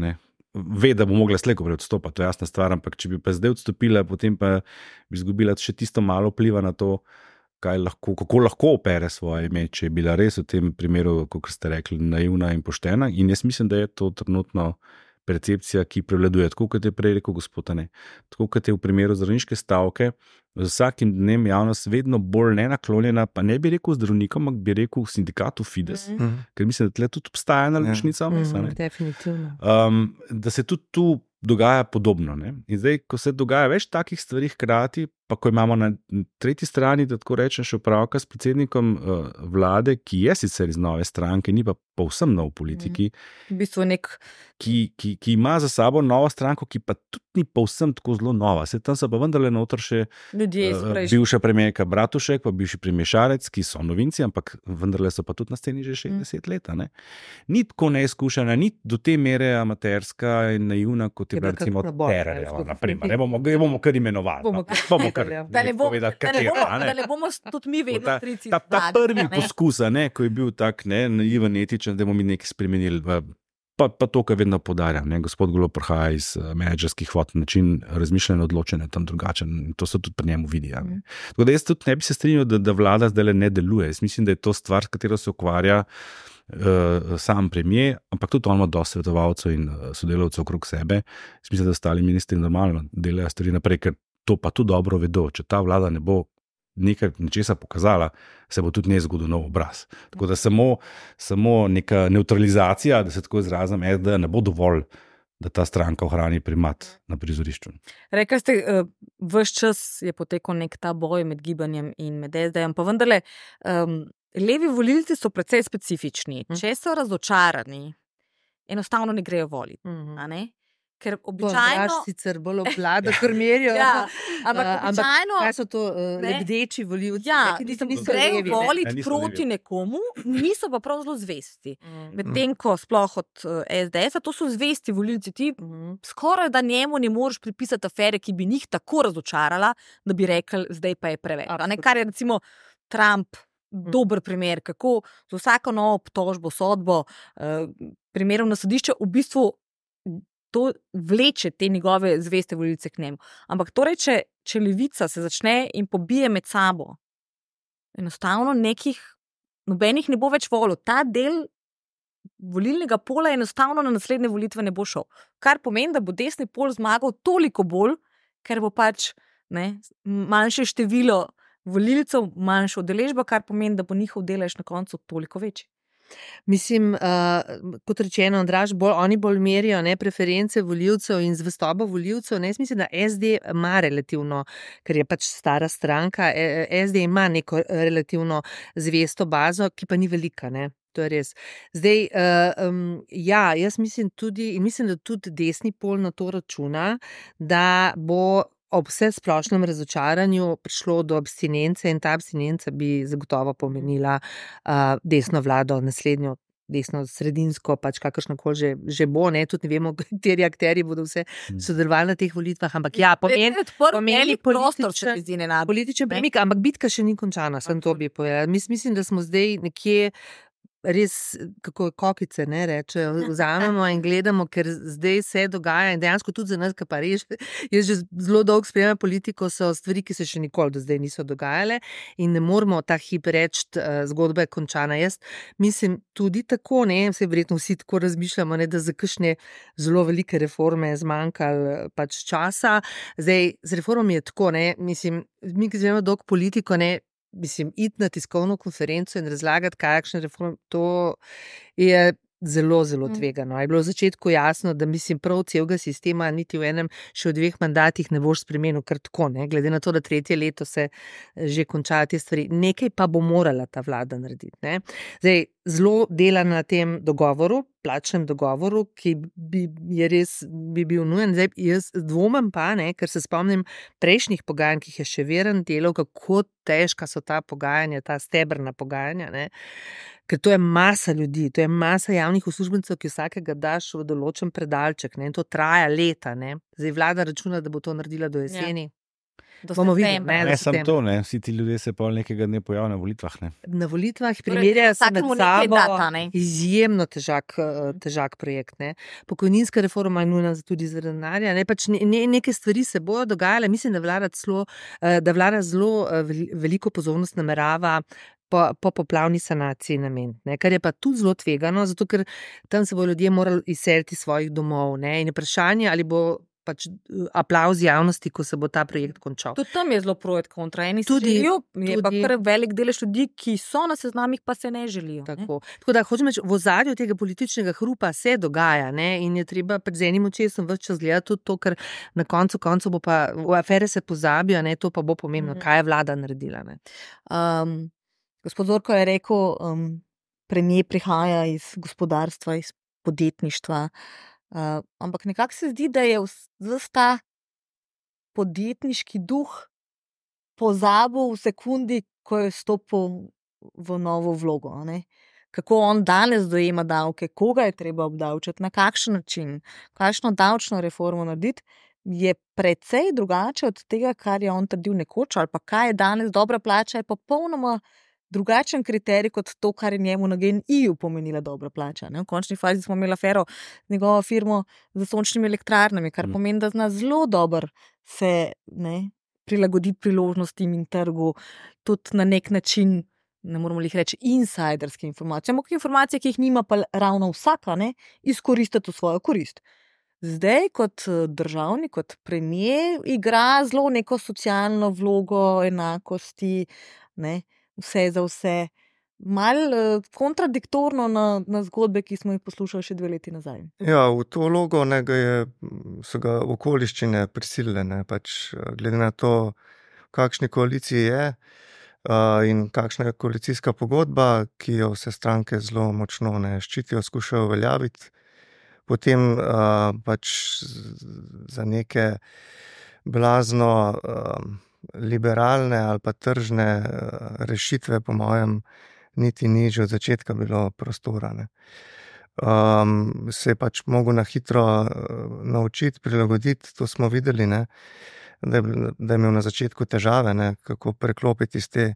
Ve, da bo mogla slejko prej odstopati, to je jasna stvar, ampak če bi pa zdaj odstopila, potem pa bi izgubila še tisto malo vpliva na to, kako lahko opere svoje ime, če je bila res v tem primeru, kot ste rekli, naivna in poštena. In jaz mislim, da je to trenutno percepcija, ki prevladuje, tako kot je prej rekel gospod Tane. Tako kot je v primeru zdravniške stavke, z vsakim dnem javnost vedno bolj nenaklonjena, pa ne bi rekel zdravnikom, ampak bi rekel sindikatu Fides, ker mislim, da tle tudi obstaja ena ločnica. Definitivno. Da se tudi tu dogaja podobno. In zdaj, ko se dogaja več takih stvari hkrati, pa ko imamo na tretji strani, da tako rečem, še opravka s predsednikom vlade, ki je sicer iz nove stranke, ni pa povsem nov v politiki, v bistvu ki ima za sabo novo stranko, ki pa tudi ni povsem tako zelo nova. Se tam so pa vendarle noter še bivša premijerka Bratušek, pa bivši premijer Šarec, ki so novinci, ampak vendarle so pa tudi na sceni že 60 let. Ni tako neizkušena, ni do te mere amaterska in naivna, kot je bila recimo Tererjeva, naprimer. Bomo kar imenovali. Da ne bomo tudi mi vedno trici. Ta prvi poskus, ko je bil tak naiven, etičen, da bomo mi nekaj spremenili. Pa to, kar vedno podarjam. Gospod Golob prihaja iz menedžerskih vod, način razmišljanja, odločanja tam drugačen. To se tudi pri njemu vidi. Tako da jaz tudi ne bi se strinjal, da vlada zdaj ne deluje. Jaz mislim, da je to stvar, s katero se ukvarja sam premier, ampak tudi on ima dosti svetovalcev in sodelavcev okrog sebe. Jaz mislim, da ostali ministri normalno delajo stvari naprej, ker to pa tudi dobro vedo. Če ta vlada ne bo nečesa pokazala, se bo tudi ne zgodil nov obraz. Tako da samo neka neutralizacija, da se tako izrazim, da ne bo dovolj, da ta stranka ohrani primat na prizorišču. Rekli ste, ves čas je potekal nek ta boj med gibanjem in med SD-jem, pa vendarle levi volilci so precej specifični. Če so razočarani, enostavno ne grejo voliti. Ker običajno sicer bolj oblada, ker merijo. Ampak običajno kaj so to lebdeči volivci? Grejo voliti proti nekomu, niso pa prav zelo zvesti. Medtem ko sploh od SDS-a, to so zvesti volivci. Ti skoraj da njemu ne moreš pripisati afere, ki bi njih tako razočarala, da bi rekli, zdaj pa je preveč. Kar je recimo Trump dober primer, kako z vsako novo obtožbo, sodbo, primerom na sodišče v bistvu to vleče te njegove zveste volilce k njemu. Ampak torej, če levica se začne in pobije med sabo, enostavno nobenih ne bo več volil. Ta del volilnega pola enostavno na naslednje volitve ne bo šel. Kar pomeni, da bo desni pol zmagal toliko bolj, ker bo pač manjše število volilcev, manjša udeležba, kar pomeni, da bo njihov delež na koncu toliko večji. Mislim, kot rečeno, Andraž, oni bolj merijo preference volivcev in zvestobo volivcev. Jaz mislim, da SD ima relativno, ker je pač stara stranka, SD ima neko relativno zvesto bazo, ki pa ni velika, To je res. Zdaj, jaz mislim tudi, in mislim, da tudi desni pol na to računa, da bo ob vse splošnem razočaranju prišlo do abstinence in ta abstinenca bi zagotovo pomenila desno vlado, naslednjo desno sredinsko, pač kakršnokoli že bo, tudi ne vemo, kateri akterji bodo vse sodelovali na teh volitvah, ampak pomeni političen premik, ampak bitka še ni končana, sem to bi povedala. Mislim, da smo zdaj nekje res, kako kokice rečejo, vzamemo in gledamo, ker zdaj se dogaja in dejansko tudi za nas, ki pa res, jaz že zelo dolgo spremljam politiko, so stvari, ki se še nikoli do zdaj niso dogajale in ne moramo ta hip reči, zgodba je končana. Jaz mislim tudi tako, vse verjetno vsi tako razmišljamo, da za kakšne zelo velike reforme je zmanjkalo pač časa. Zdaj, z reformami je tako, mislim, mi, ki zvemo dolgo politiko, iti na tiskovno konferenco in razlagati, kakšne reforme, to je zelo, zelo tvegano. Je bilo v začetku jasno, da mislim prav celega sistema niti v enem, še v 2 mandatih ne boš spremenil kar tako, glede na to, da 3. leto se že končajo te stvari. Nekaj pa bo morala ta vlada narediti. Zdaj, zelo dela na tem dogovoru, plačnem dogovoru, ki bi bil nujen. Zdaj, jaz dvomim pa, ne, ker se spomnim prejšnjih pogajanj, ki jih je še Virant delal, kako težka so ta pogajanja, ta stebrna pogajanja, ne. Ker to je masa ljudi, to je masa javnih uslužbencev, ki vsakega daš v določen predalček, ne, in to traja leta, ne. Zdaj vlada računa, da bo to naredila do jeseni. Bomo videli, ne samo to, ne. Vsi ti ljudje se pol nekega dne pojavijo na volitvah. Ne. Na volitvah primerjajo se med sabo, izjemno težak projekt. Ne. Pokojninska reforma je nujna tudi zaradi denarja. Pač neke stvari se bojo dogajale. Mislim, da vlada zelo veliko pozornost namerava po poplavni sanaciji nameniti, kar je pa tudi zelo tvegano, zato ker tam se bodo ljudje morali izseliti iz svojih domov. Ne. In vprašanje, ali bo pač aplavz javnosti, ko se bo ta projekt končal. Tudi tam je zelo projekt kontra. Eni se želijo, je pa kar velik delež ljudi, ki so na seznamih, pa se ne želijo. Tako da hočem reči, v ozadju tega političnega hrupa se dogaja, ne, in je treba pred enim očesom ves čas gledati tudi to, ker na koncu bo pa v afere se pozabijo, ne, to pa bo pomembno, kaj je vlada naredila. Ne. Gospod Zorko je rekel, premier prihaja iz gospodarstva, iz podjetništva, ampak nekako se zdi, da je ta podjetniški duh pozabil v sekundi, ko je stopil v novo vlogo. Ne? Kako on danes dojema davke, koga je treba obdavčiti, na kakšen način, kakšno davčno reformo narediti, je precej drugače od tega, kar je on trdil nekoč, ali pa kaj je danes dobra plača, je popolnoma drugačen kriterij kot to, kar je njemu na GEN-I-ju pomenila dobra plača. Ne? V končni fazi smo imeli afero z njegovo firmo za sončnimi elektrarnami, kar pomeni, da zna zelo dobro se prilagoditi priložnostim in trgu, tudi na nek način, ne moramo jih reči, insiderske informacije, ampak informacije, ki jih nima pa ravno vsaka, izkoristiti v svojo korist. Zdaj, kot državnik, kot premier, igra zelo neko socialno vlogo, enakosti, vse za vse. Malo kontradiktorno na zgodbe, ki smo jih poslušali še 2 leti nazaj. Ja, v to vlogo so ga okoliščine prisilile, pač glede na to, v kakšni koaliciji je in kakšna je koalicijska pogodba, ki jo vse stranke zelo močno ščitijo, skušajo uveljaviti. Potem pač za neke blazno liberalne ali pa tržne rešitve, po mojem, niti ni že od začetka bilo prostora. Se je pač mogel na hitro naučiti, prilagoditi, to smo videli, da je imel na začetku težave, kako preklopiti iz te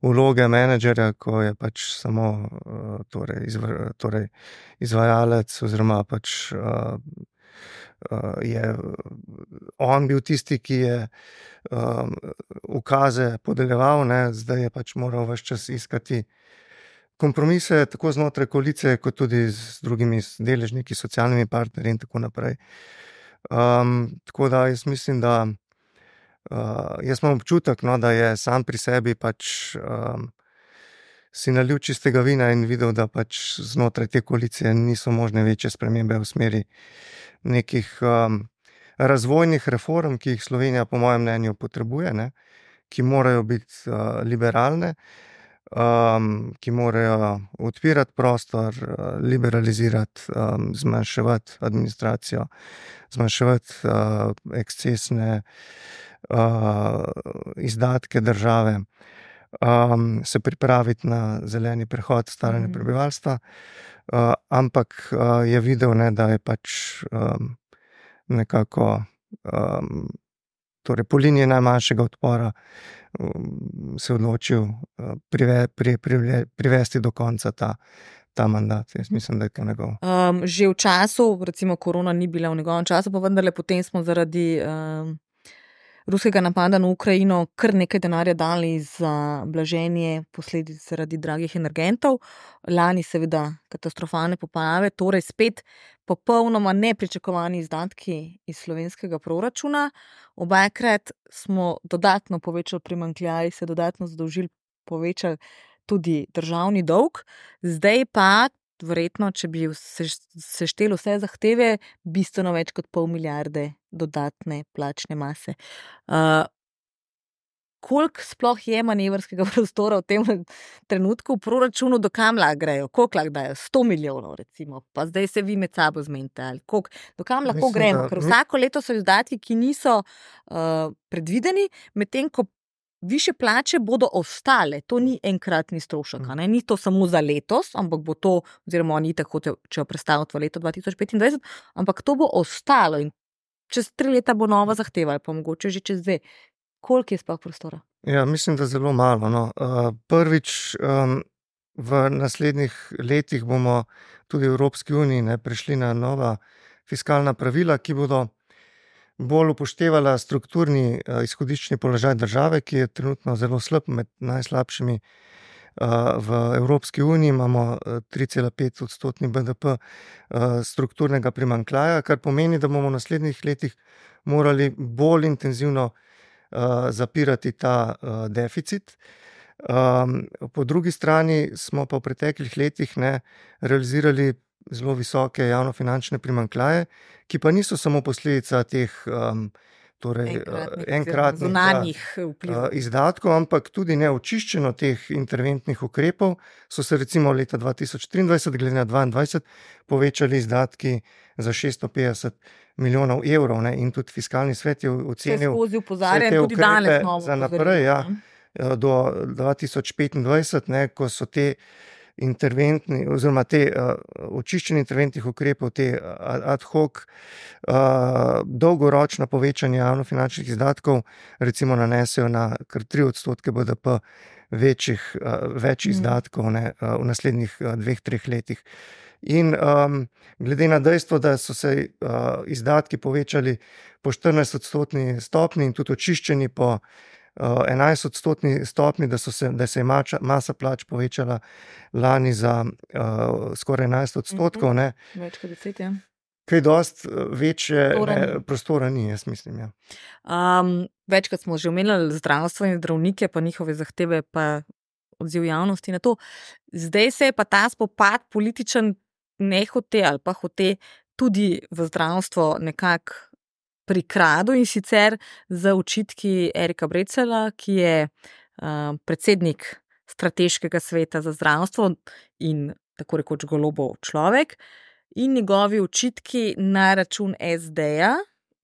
vloge menedžerja, ko je pač samo izvajalec oziroma pač je on bil tisti, ki je ukaze podeljeval, zdaj je pač moral ves čas iskati kompromise, tako znotraj koalicije, kot tudi z drugimi deležniki, socialnimi partnerji in tako naprej. Tako da jaz mislim, da jaz imam občutek, da je sam pri sebi pač si nalil čistega vina in videl, da pač znotraj te koalicije niso možne večje spremembe v smeri nekih razvojnih reform, ki jih Slovenija po mojem mnenju potrebuje, ki morajo biti liberalne, ki morajo odpirati prostor, liberalizirati, zmanjševati administracijo, zmanjševati ekscesne izdatke države, se pripraviti na zeleni prehod, staranje prebivalstva, ampak je videl, da je pač nekako torej po liniji najmanjšega odpora se odločil privesti do konca ta mandat. Jaz mislim, da je to njegov. Že v času, recimo korona ni bila v njegovem času, pa vendarle potem smo zaradi ruskega napada na Ukrajino kar nekaj denarja dali za blaženje posledic zaradi dragih energentov. Lani seveda katastrofalne poplave, torej spet popolnoma nepričakovani izdatki iz slovenskega proračuna. Obakrat smo dodatno povečali primanjkljaj, se dodatno zadolžili, povečali tudi državni dolg. Zdaj pa verjetno, če bi sešteli vse zahteve, bistveno več kot 0,5 milijarde dodatne plačne mase. koliko sploh je manevrskega prostora v tem trenutku v proračunu, do kam lahko grejo, koliko lahko dajo, 100 milijonov recimo, pa zdaj se vi med sabo zmenite, ali do kam lahko gremo, ker vsako leto so izdatki, ki niso predvideni, medtem ko više plače bodo ostale, to ni enkratni strošek, ni to samo za letos, ampak bo to, oziroma oni tako če prestaviti v leto 2025, ampak to bo ostalo in čez 3 leta bo nova zahteva, ali pa mogoče že čez 2. Koliko je sploh prostora? Ja, mislim, da zelo malo. No. Prvič, v naslednjih letih bomo tudi v Evropski uniji prišli na nova fiskalna pravila, ki bodo bolj upoštevala strukturni izhodiščni položaj države, ki je trenutno zelo slab, med najslabšimi v Evropski uniji. Imamo 3,5% BDP strukturnega primanjkljaja, kar pomeni, da bomo v naslednjih letih morali bolj intenzivno zapirati ta deficit. Po drugi strani smo pa v preteklih letih realizirali zelo visoke javnofinančne primanjkljaje, ki pa niso samo posledica teh enkratnih izdatkov, ampak tudi neočiščeno teh interventnih ukrepov so se recimo leta 2023 glede na 2022 povečali izdatki za 650 milijonov evrov, in tudi fiskalni svet je ocenil vse te ukrepe za naprej, do 2025, ko so te interventni oziroma te očiščenje interventnih ukrepov, te ad hoc dolgoročna povečanja javnofinančnih izdatkov recimo nanesejo na kar 3% BDP več izdatkov v naslednjih 2-3 letih. In glede na dejstvo, da so se izdatki povečali po 14% stopni in tudi očiščeni po 11% stopni, da se je masa plač povečala lani za skoraj 11%. Več kot 10, ja. Kaj dosti večje prostora ni, jaz mislim. Ja. Večkrat smo že omenjali zdravstvo in zdravnike, pa njihove zahteve, pa odziv javnosti na to. Zdaj se je pa ta spopad političen nehote ali pa hote tudi v zdravstvo nekako prikradu, in sicer za očitki Erika Breclja, ki je predsednik strateškega sveta za zdravstvo in tako rekoč Golobov človek, in njegovi očitki na račun SD-ja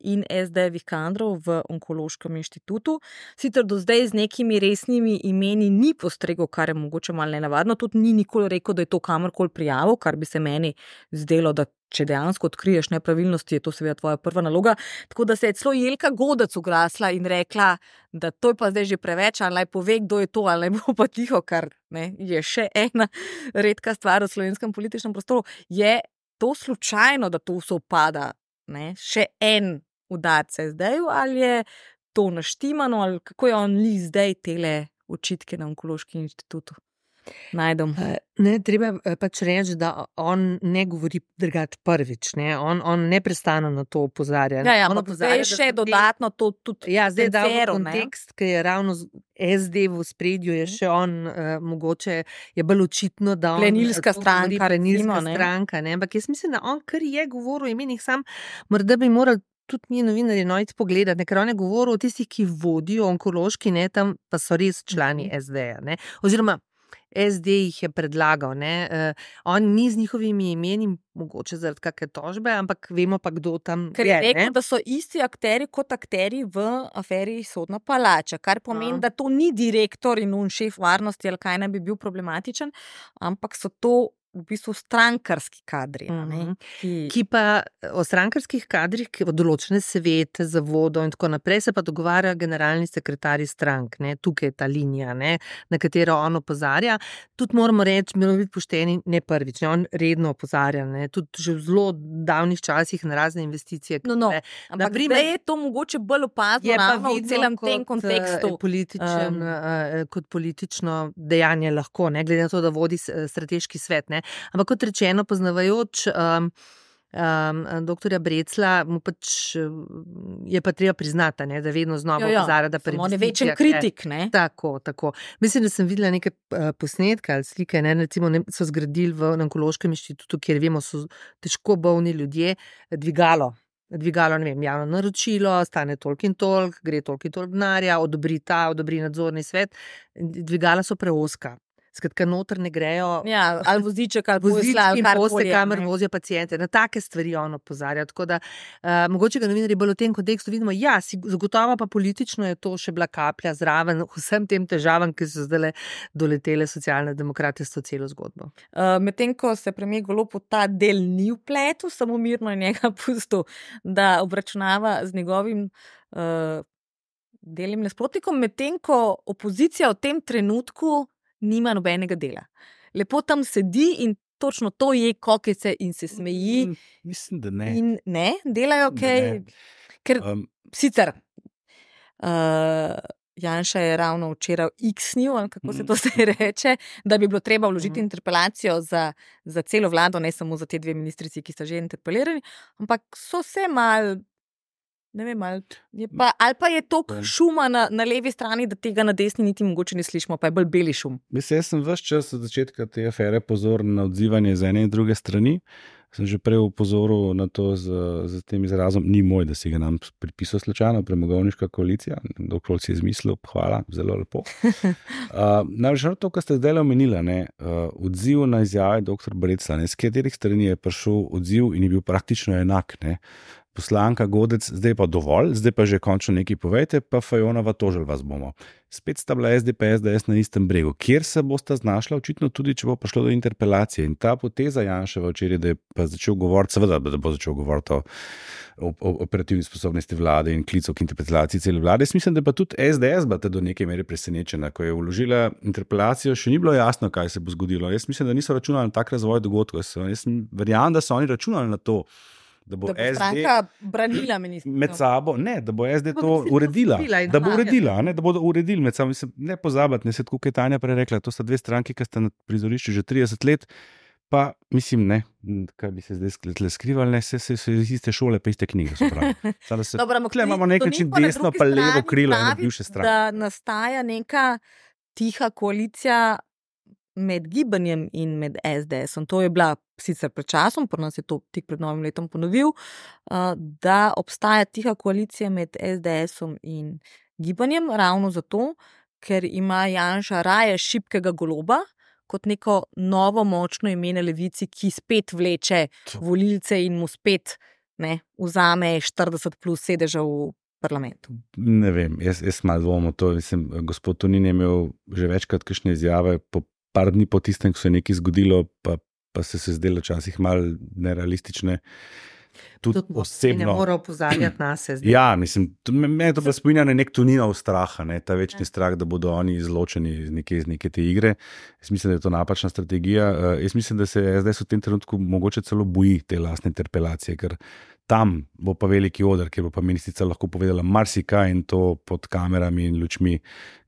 in SD-jevih kadrov v Onkološkem inštitutu. Sicer do zdaj z nekimi resnimi imeni ni postregel, kar je mogoče malo nenavadno, tudi ni nikoli rekel, da je to kamorkoli prijavil, kar bi se meni zdelo, da če dejansko odkriješ nepravilnosti, je to seveda tvoja prva naloga. Tako da se je celo Jelka Godec oglasila in rekla, da to je pa zdaj že preveč, ali naj pove, kdo je to, ali naj bo pa tiho, kar je še ena redka stvar v slovenskem političnem prostoru. Je to slučajno, da to sovpada še en udarc SD-ju, ali je to naštimano, ali kako je on zdaj tele očitke na Onkološkem inštitutu najdem? Treba pač reči, da on ne govori drugače prvič. On neprestano na to opozarja. Zdaj še dodatno to tudi zdaj da v kontekst, ki je ravno SD v spredju, je še on mogoče je bolj očitno, da on plenilska stranka, ampak jaz mislim, da on kar je govoril o imenih, sam morda bi moral tudi mi novinarji nojti pogledati, ker on je govoril o tistih, ki vodijo onkološki, tam pa so res člani SD-ja, oziroma SD jih je predlagal. On ni z njihovimi imeni, mogoče zaradi kakšne tožbe, ampak vemo pa, kdo tam je. Ker je rekel, da so isti akteri kot akteri v aferi Sodna palača, kar pomeni, da to ni direktor in šef varnosti, ali kaj naj bi bil problematičen, ampak so to v bistvu strankarski kadri. Ki pa o strankarskih kadrih, ki v določene svete, zavodov in tako naprej, se pa dogovarjajo generalni sekretarji strank. Tukaj je ta linija, na katero on opozarja. Tudi moramo reči, moramo biti pošteni, ne prvič, on redno opozarja, tudi že v zelo davnih časih na razne investicije. Ampak zdaj je to mogoče bolj opazno ravno v celem tem kontekstu. Kot politično dejanje lahko, glede na to, da vodi strateški svet. Ampak kot rečeno, poznavajoč doktorja Breclja, mu pač je pa treba priznati, da vedno znova opozarja, da on je večen kritik. Tako. Mislim, da sem videla nekaj posnetka ali slike, recimo so zgradili v Onkološkem inštitutu, kjer vemo, so težko bolni ljudje, dvigalo. dvigalo, ne vem, javno naročilo, stane toliko in toliko, gre toliko in toliko denarja, odobri nadzorni svet, dvigala so preozka. Skratka, noter ne grejo. Ja, ali voziček, ali posla, in poste, kamer vozijo paciente. Na take stvari on opozarja. Tako da, mogoče ga novinarji bolj v tem kontekstu vidimo, ja, zagotovo pa politično je to še bila kaplja zraven vsem tem težavam, ki so zdaj doletele socialne demokrate s to celo zgodbo. Medtem ko se premier Golob v ta del ni vpletel, samo mirno je njega pustil, da obračunava z njegovim delnim nasprotnikom, medtem ko opozicija v tem trenutku nima nobenega dela. Lepo tam sedi in točno to je kokice in se smeji. Mislim, da ne. In ne, delajo kaj. Ker sicer Janša je ravno včeraj x-nil, ali kako se to zdaj reče, da bi bilo treba vložiti interpelacijo za celo vlado, ne samo za te dve ministrici, ki sta že interpelirani, ampak so se mal. Ne vem, ali pa je toliko šuma na levi strani, da tega na desni niti mogoče ne slišimo, pa je bolj beli šum. Mislim, jaz sem ves čas od začetka te afere pozoren na odzivanje z ene in druge strani. Sem že prej upozoril na to z tem izrazom, ni moj, da si ga nam pripisal slučajno, premogovniška koalicija, dokler si je izmislil, hvala, zelo lepo. Največ to, kar ste zdaj omenila, odziv na izjave dr. Brecla, s katerih strani je prišel odziv in je bil praktično enak, Poslanka Godec, zdaj pa dovolj, zdaj pa že končno nekaj povejte, pa Fajonova tožili vas bomo. Spet sta bila SDP, SDS na istem bregu. Kjer se bosta znašla, očitno tudi, če bo prišlo do interpelacije. In ta poteza Janševa včeraj, da je pa začel govoriti, seveda, da bo začel govoriti o operativni sposobnosti vlade in klicu k interpelaciji cele vlade. Jaz mislim, da pa tudi SDS bo do neke mere presenečena. Ko je vložila interpelacijo, še ni bilo jasno, kaj se bo zgodilo. Jaz mislim, da niso računali na tak razvoj dogodkov. Jaz verjamem, da so oni računali na to, da bo stranka branila ministrico. Med sabo, ne, da bo SD to uredila. Da bo uredila, da bodo uredili med sabo. Ne pozabiti, se tako, kot je Tanja prej rekla, to sta dve stranki, ki sta na prizorišču že 30 let, pa mislim, kaj bi se zdaj skrivali, se iz iste šole, pa iste knjige. Tukaj imamo nek način desno pa levo krilo ene bivše stranke. Da nastaja neka tiha koalicija med gibanjem in med SDS-om. To je bila sicer pred časom, pri nas je to tik pred novim letom ponovil, da obstaja tiha koalicija med SDS-om in gibanjem, ravno zato, ker ima Janša raje šibkega Goloba, kot neko novo močno ime na levici, ki spet vleče volilce in mu spet vzame 40 plus sedežev v parlamentu. Ne vem, jaz malo dvomim to. Gospod Tonin je imel že večkrat kakšne izjave par dni po tistem, ko se je nekaj zgodilo, pa se zdelo včasih malo nerealistične. Tudi osebno. Ne mora opozarjati na se. Ja, mislim, me to pa spominja na nek Toninov strah, ta večni strah, da bodo oni izločeni iz neke te igre. Jaz mislim, da je to napačna strategija. Jaz mislim, da se zdaj v tem trenutku mogoče celo boji te lastne interpelacije, ker tam bo pa veliki oder, kjer bo pa ministrica lahko povedala marsikaj in to pod kamerami in lučmi,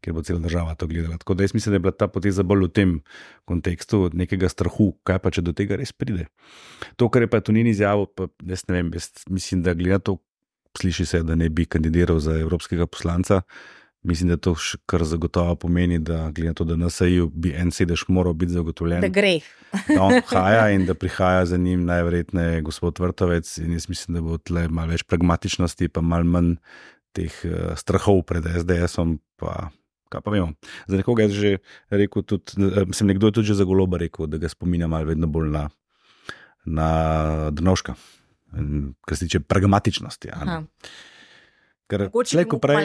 kjer bo cela država to gledala. Tako da jaz mislim, da je bila ta poteza bolj v tem kontekstu nekega strahu, kaj pa če do tega res pride. To, kar je pa Tonin izjavil, pa jaz ne vem, jaz mislim, da gleda to, sliši se, da ne bi kandidiral za evropskega poslanca. Mislim, da to kar zagotovo pomeni, da glede na to, da na SAI-ju bi en sedež moral biti zagotovljen. Da gre. Da on prihaja in da prihaja za njim najverjetneje gospod Vrtovec in jaz mislim, da bo tle malo več pragmatičnosti pa malo manj teh strahov pred SDS-om, pa kaj pa vemo. Za nekoga je že rekel tudi, nekdo je tudi že za Goloba rekel, da ga spominja malo vedno bolj na Drnovška, kar se tiče pragmatičnosti. Ker slejko prej,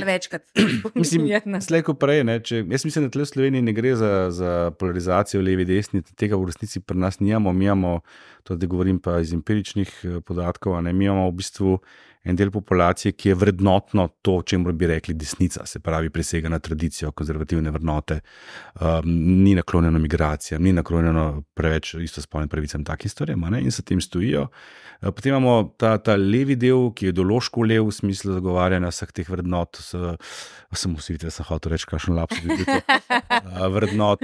jaz mislim, da tle v Sloveniji ne gre za polarizacijo levi desni, tega v resnici pri nas nijamo, mi imamo, to da govorim pa iz empiričnih podatkov, mi imamo v bistvu en del populacije, ki je vrednotno to, čemu bi rekli desnica, se pravi presega na tradicijo, konzervativne vrednote, ni naklonjeno migracijam, ni naklonjeno preveč istospolnim pravicam, takim stvarem, in se tem stojijo. Potem imamo ta levi del, ki je ideološko lev v smislu zagovarjanja vseh teh vrednot, sem hotel reči, kakšen lapsus bi bil to, vrednot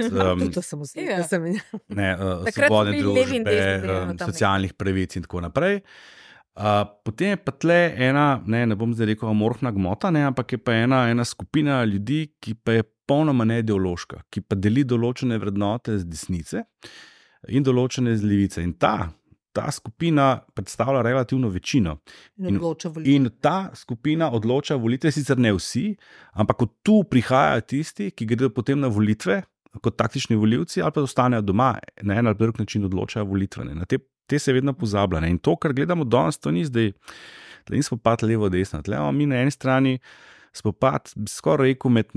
svobodne družbe, socialnih pravic in tako naprej. Potem je pa tle ena, ne bom zdaj rekel amorfna gmota, ampak je pa ena skupina ljudi, ki pa je popolnoma neideološka, ki pa deli določene vrednote z desnice in določene z levice. In ta ta skupina predstavlja relativno večino. In ta skupina odloča volitve, sicer ne vsi, ampak od tu prihajajo tisti, ki gredo potem na volitve kot taktični volivci ali pa ostanejo doma, na en ali drug način odločajo volitve. Na te se vedno pozablja. In to, kar gledamo danes, to ni zdaj, da nismo spopad levo-desno. Mi na eni strani spopad, skoraj rekel, med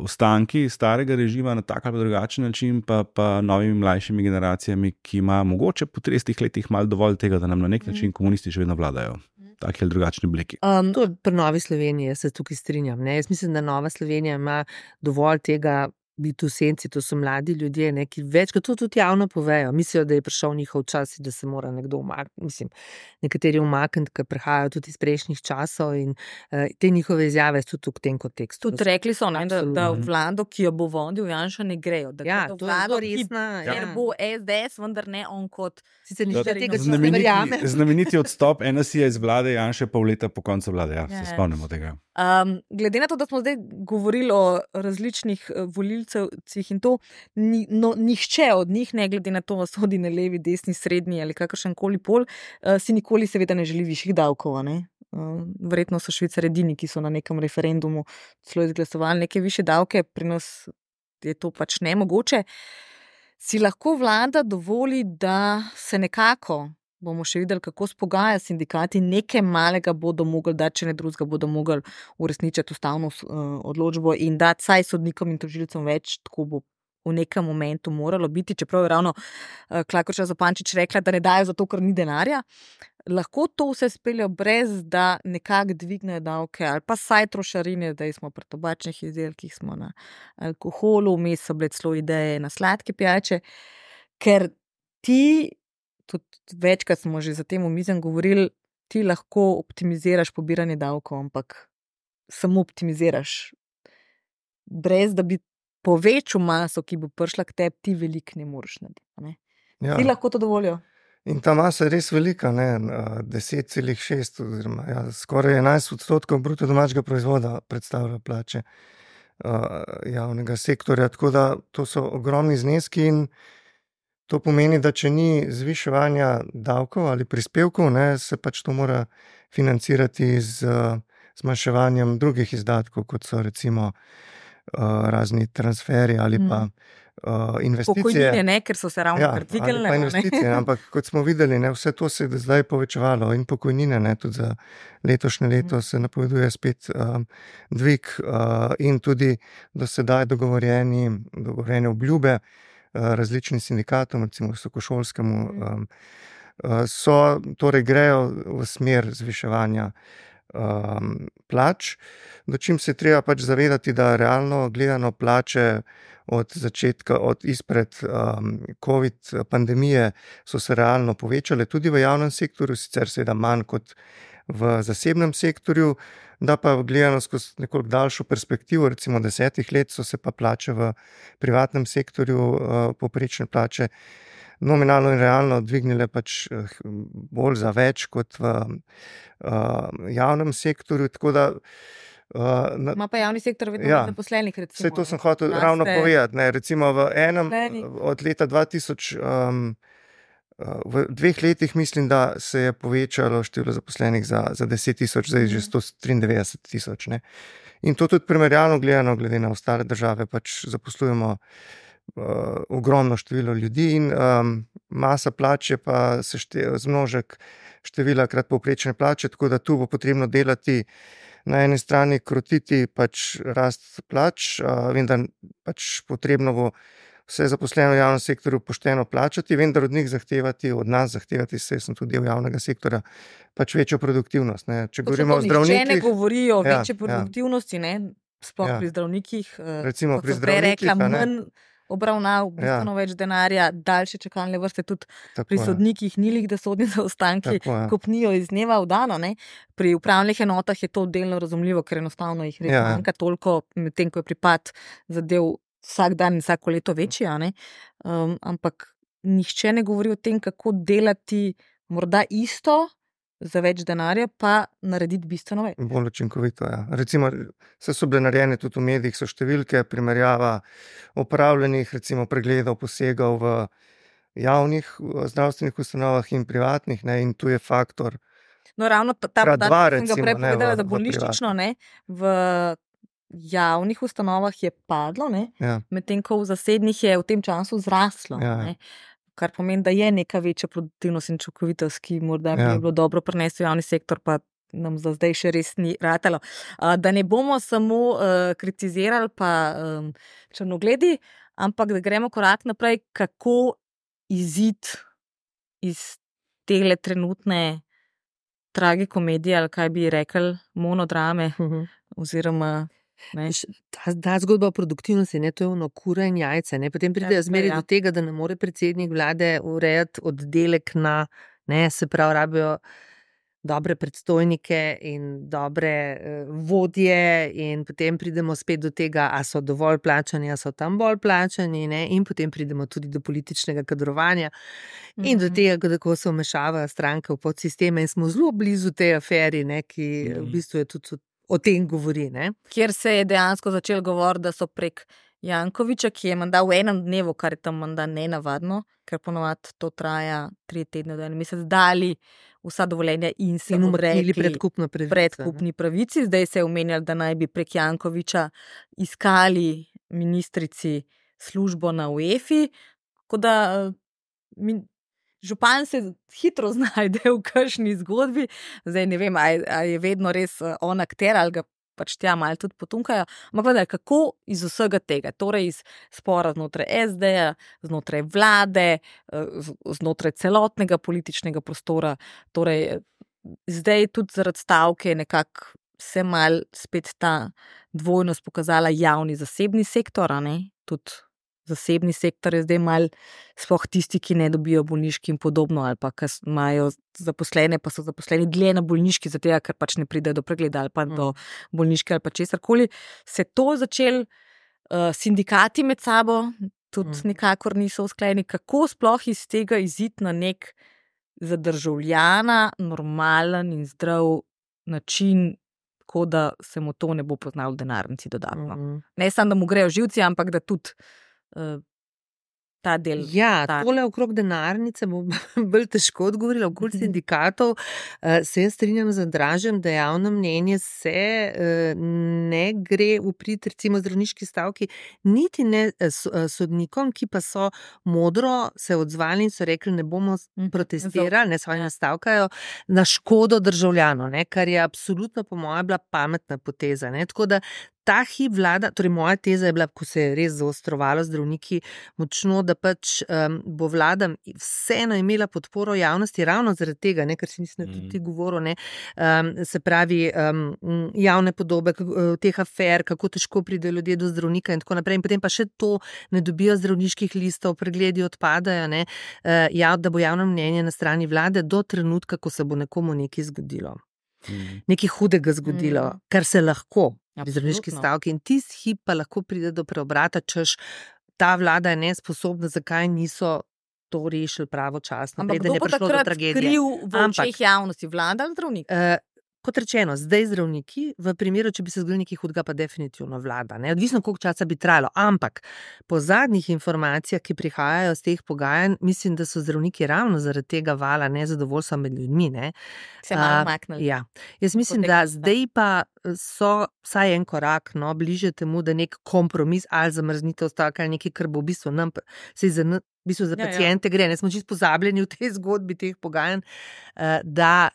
ostanki starega režima na tak ali drugačen način, pa novimi mlajšimi generacijami, ki ima mogoče po 30 letih malo dovolj tega, da nam na nek način komunisti še vedno vladajo. Taki ali drugačni obliki. To je pri Novi Sloveniji, jaz se tukaj strinjam. Ne? Jaz mislim, da Nova Slovenija ima dovolj tega biti v senci, to so mladi ljudje, ne, ki večkrat to tudi javno povejo. Mislijo, da je prišel njihov čas in da se mora nekdo umakniti. Mislim, nekateri umakniti, ki prihajajo tudi iz prejšnjih časov in te njihove izjave so tudi v tem kontekstu. Tudi rekli so, ne, da vlado, ki jo bo vodil Janša, ne grejo. Da ja, to vlado, je resna. Ker bo SDS, vendar ne on kot... Sicer nič tega znameniti odstop NSI iz vlade Janše pol leta po koncu vlade. Ja, se spomnimo tega. Glede na to, da smo zdaj govorili o različnih volilcih in to, nihče od njih, ne glede na to, sodi na levi, desni, srednji ali kakršenkoli pol, si nikoli seveda ne želi višjih davkov. Ne? Verjetno so Švicarji edini, ki so na nekem referendumu celo izglasovali neke višje davke, pri nas je to pač nemogoče. Si lahko vlada dovoli, da se nekako, bomo še videli, kako spogaja sindikati, nekaj malega bodo mogli dati, če ne drugega bodo mogli uresničiti ustavno odločbo in dati saj sodnikom in tožilcem več, tako bo v nekem momentu moralo biti, čeprav je ravno Klakočar Zupančič rekla, da ne dajo zato, ker ni denarja. Lahko to vse speljo brez, da nekako dvignejo davke ali pa saj trošarine, da smo pri tobačnih izdelkih, smo na alkoholu, vmes so bile celo ideje na sladke pijače, ker ti, tudi večkrat smo že za tem omizjem govorili, ti lahko optimiziraš pobiranje davkov, ampak samo optimiziraš. Brez da bi povečal maso, ki bo prišla k tebi, ti veliko ne moreš narediti. Ja. Ti lahko to dovolijo. In ta masa je res velika, 10,6 oziroma skoraj 11% bruto domačega proizvoda predstavlja plače javnega sektorja, tako da to so ogromni zneski in to pomeni, da če ni zviševanja davkov ali prispevkov, se pač to mora financirati z zmanjševanjem drugih izdatkov, kot so recimo razni transferi ali pa investicije. Pokojnine, ne, ker so se ravno dvignile. Pa investicije, ampak kot smo videli, vse to se je zdaj povečevalo in pokojnine, tudi za letošnje leto se napoveduje spet dvig in tudi do sedaj dogovorjene obljube različnim sindikatom, recimo visokošolskemu, torej grejo v smer zviševanja plač, do čim se treba pač zavedati, da realno gledano plače izpred COVID pandemije so se realno povečale tudi v javnem sektorju, sicer seveda manj kot v zasebnem sektorju, da pa gledano skozi nekoliko daljšo perspektivo, recimo 10 let, so se pa plače v privatnem sektorju, povprečne plače, nominalno in realno dvignile pač bolj za več kot v javnem sektorju, tako da ima pa javni sektor vedno zaposlenih, recimo. Saj to sem hotel ravno povedati, recimo v enem od leta 2000 v 2 letih mislim, da se je povečalo število zaposlenih za 10,000, zdaj že 193,000. In to tudi primerjalno gledano, glede na ostale države, pač zaposlujemo ogromno število ljudi in masa plače pa se zmnožek števila krat povprečne plače, tako da tu bo potrebno delati na eni strani, krotiti pač rast plač, vendar pač potrebno bo vse zaposleno v javnem sektorju pošteno plačati, vendar od njih od nas zahtevati, saj sem tudi del javnega sektorja, pač večjo produktivnost. Če govorimo o zdravnikih... Če ne govorijo o večji produktivnosti, sploh pri zdravnikih, recimo pri zdravnikih, manj obravnav, bistveno več denarja, daljše čakalne vrste, tudi pri sodnikih ni lih, da sodni zaostanki kopnijo iz dneva v dan. Pri upravnih enotah je to delno razumljivo, ker enostavno jih res manjka toliko, medtem ko je pripad zadev vsak dan in vsako leto večji, ampak nihče ne govori o tem, kako delati morda isto za več denarja, pa narediti bistveno več. Bolj učinkovito, Recimo, so bile narejene tudi v medijih, so številke, primerjava opravljenih, recimo pregledov, posegov v javnih zdravstvenih ustanovah in privatnih, ne, in tu je faktor. No, ravno ta krat dva, podatek, sem ga recimo, prej ne, povedala, v- za v bolnišnično, ne, v javnih ustanovah je padlo, ne, Ja, medtem ko v zasebnih je v tem času zraslo. Ja. Ne, kar pomeni, da je neka večja produktivnost in učinkovitost, ki morda bi Ja. jo bilo dobro prenesti v javni sektor, pa nam za zdaj še res ni ratalo. Da ne bomo samo kritizirali pa črnogledi, ampak da gremo korak naprej, kako izid iz tele trenutne tragikomedije, ali kaj bi rekli, monodrame, oziroma ne. Ta zgodba o produktivnosti, ne, to je ono kura in jajce. Ne. Potem pridejo zmeri do tega, da ne more predsednik vlade urejati oddelek na, ne, se pravi, rabijo dobre predstojnike in dobre vodje in potem pridemo spet do tega, a so dovolj plačani, a so tam bolj plačani, ne, in potem pridemo tudi do političnega kadrovanja in do tega, kako se vmešavajo stranke v podsisteme in smo zelo blizu tej aferi, ne, ki v bistvu je tudi o tem govori, ne. Kjer se je dejansko začel govoriti, da so prek Jankoviča, ki je menda v enem dnevu, kar je tam menda nenavadno, ker ponovadi to traja 3 tedne do en mesec, dali vsa dovoljenja in se umaknili odrekli predkupni pravici. Zdaj se je omenjalo, da naj bi prek Jankoviča iskali ministrici službo na UEFI, tako da župan se hitro znajde v kakšni zgodbi. Zdaj ne vem, ali je vedno res on akter, ali ga pač tja malo tudi potunkajo. Ampak vendar, kako iz vsega tega, torej iz spora znotraj SD-ja, znotraj vlade, znotraj celotnega političnega prostora, torej zdaj tudi zaradi stavke nekako se mal spet ta dvojnost pokazala javni-zasebni sektor, a ne, tudi zasebni sektor je zdaj mal sploh tisti, ki ne dobijo bolniški in podobno, ali pa ki imajo zaposlene, pa so zaposleni dlje na bolniški, zato ker pač ne pridejo do pregleda ali pa do bolniške ali pa česarkoli. Se to začel sindikati med sabo, tudi nikakor niso usklajeni. Kako sploh iz tega iziti na nek za državljana normalen in zdrav način, tako da se mu to ne bo poznalo v denarnici dodatno. Ne samo, da mu grejo živci, ampak da tudi ta del. Ja, tole okrog denarnice bo bolj težko odgovorila. Okoli sindikatov se jaz strinjam z Andražem, da javno mnenje se ne gre v prid recimo zdravniški stavki, niti ne sodnikom, ki pa so modro se odzvali in so rekli, ne bomo protestirali, ne svoje nastavkajo na škodo državljanov, ne, kar je absolutno po mojem bila pametna poteza. Ne. Tako da ta hip vlada, torej moja teza je bila, ko se je res zaostrovalo zdravniki močno, da pač bo vlada vseeno imela podporo javnosti ravno zaradi tega, ne, ker si mislim, da tudi govoril, ne, se pravi javne podobe teh afer, kako težko pridejo ljudje do zdravnika in tako naprej. In potem pa še to ne dobijo zdravniških listov, pregledi odpadajo, ne, da bo javno mnenje na strani vlade do trenutka, ko se bo nekomu nekaj zgodilo. Nekaj hudega zgodilo, kar se lahko v zdravniški stavki in tisti hip pa lahko pride do preobrata, češ ta vlada je nesposobna, zakaj niso to rešili pravočasno. Ampak kdo bo takrat skril v očeh javnosti, vlada ali zdravnik? Kot rečeno, zdaj zdravniki, v primeru, če bi se zgodilo nekaj hudega, pa definitivno vlada. Ne? Odvisno, koliko časa bi trajalo. Ampak po zadnjih informacijah, ki prihajajo z teh pogajanj, mislim, da so zdravniki ravno zaradi tega vala nezadovoljstva med ljudmi. Ne? Se malo maknili. Ja. Jaz mislim, da zdaj pa so vsaj en korak bliže temu, da nek kompromis ali zamrznitev stavka ali nekaj, kar bo v bistvu nam v bistvu za paciente gre, ne smo čisto pozabljeni v tej zgodbi teh pogajanj, da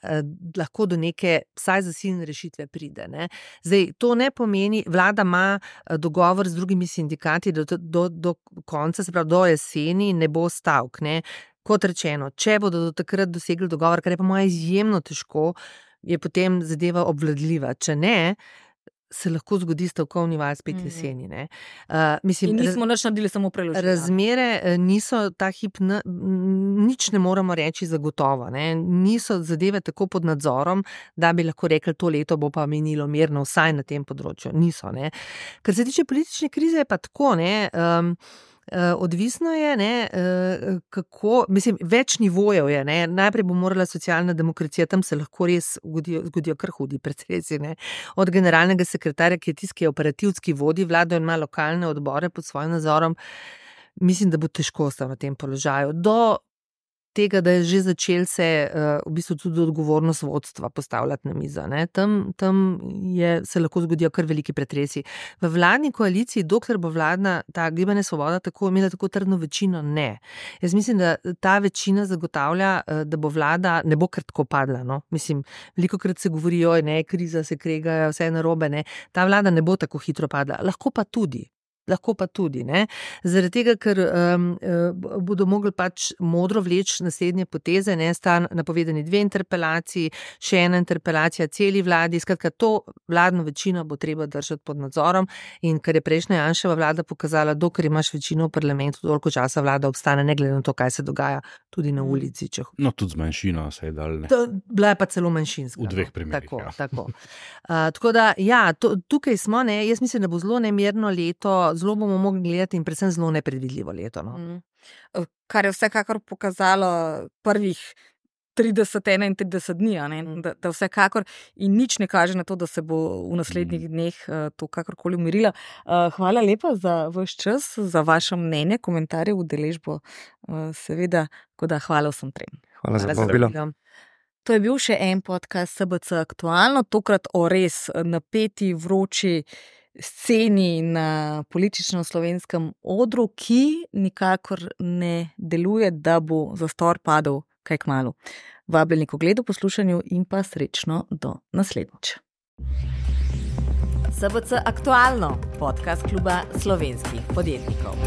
lahko do neke vsaj zasilne rešitve pride. Ne. Zdaj, to ne pomeni, vlada ima dogovor z drugimi sindikati do konca, se pravi do jeseni ne bo stavk. Ne. Kot rečeno, če bodo do takrat dosegli dogovor, kar je pa moja izjemno težko, je potem zadeva obvladljiva. Če ne, se lahko zgodi stavkovni val spet jeseni. Ne. Mislim, in nismo nič naredili, samo preložili. Razmere niso ta hip, nič ne moramo reči zagotovo. Ne. Niso zadeve tako pod nadzorom, da bi lahko rekli, to leto bo pa minilo mirno, vsaj na tem področju. Niso. Ne. Kar se tiče politične krize, je pa tako, ne. Odvisno je, ne, kako, mislim, več nivojev je. Ne. Najprej bo morala socialna demokracija, tam se lahko res zgodijo kar hudi procesi. Od generalnega sekretarja, ki je tisti, ki je operativski vodi vlado in ima lokalne odbore pod svojim nadzorom. mislim, da bo težko ostal na tem položaju. Do tega, da je že začel se v bistvu tudi odgovornost vodstva postavljati na mizo. Ne. Tam se lahko zgodijo kar veliki pretresi. V vladni koaliciji, dokler bo vladna ta Gibanje Svoboda imela tako trdno večino, ne. Jaz mislim, da ta večina zagotavlja, da bo vlada ne bo kar tako padla. No. Mislim, velikokrat se govori, ne, kriza se kregajo, vse je narobe, ne. Ta vlada ne bo tako hitro padla. Lahko pa tudi, ne. Zaradi tega, ker bodo mogli pač modro vleči naslednje poteze, ne, sta napovedani 2 interpelaciji, še ena interpelacija celi vladi, skratka, to vladno večino bo treba držati pod nadzorom in ker je prejšnja Janševa vlada pokazala, dokler imaš večino v parlamentu, toliko časa vlada obstane, ne glede na to, kaj se dogaja tudi na ulici. No, tudi z manjšino se je dal. Bila je pa celo manjšinska. V 2 primerih. Tako da, ja, tukaj smo, ne, jaz mislim, da bo zelo nemirno leto, zelo bomo mogli gledati in predvsem zelo nepredvidljivo leto. No. Kar je vsekakor pokazalo prvih 30-31 dni, da vsekakor in nič ne kaže na to, da se bo v naslednjih dneh to kakorkoli umirilo. Hvala lepa za vaš čas, za vaše mnenje, komentarje, udeležbo, seveda, tako da hvala vsem trem. Hvala za povabilo. To je bil še en podcast SBC Aktualno, tokrat o res napeti, vroči sceni na političnem slovenskem odru, ki nikakor ne deluje, da bo zastor padel kaj kmalu. Vabljeni k ogledu, poslušanju in pa srečno do naslednjič. SBC Aktualno, podcast kluba slovenskih podjetnikov.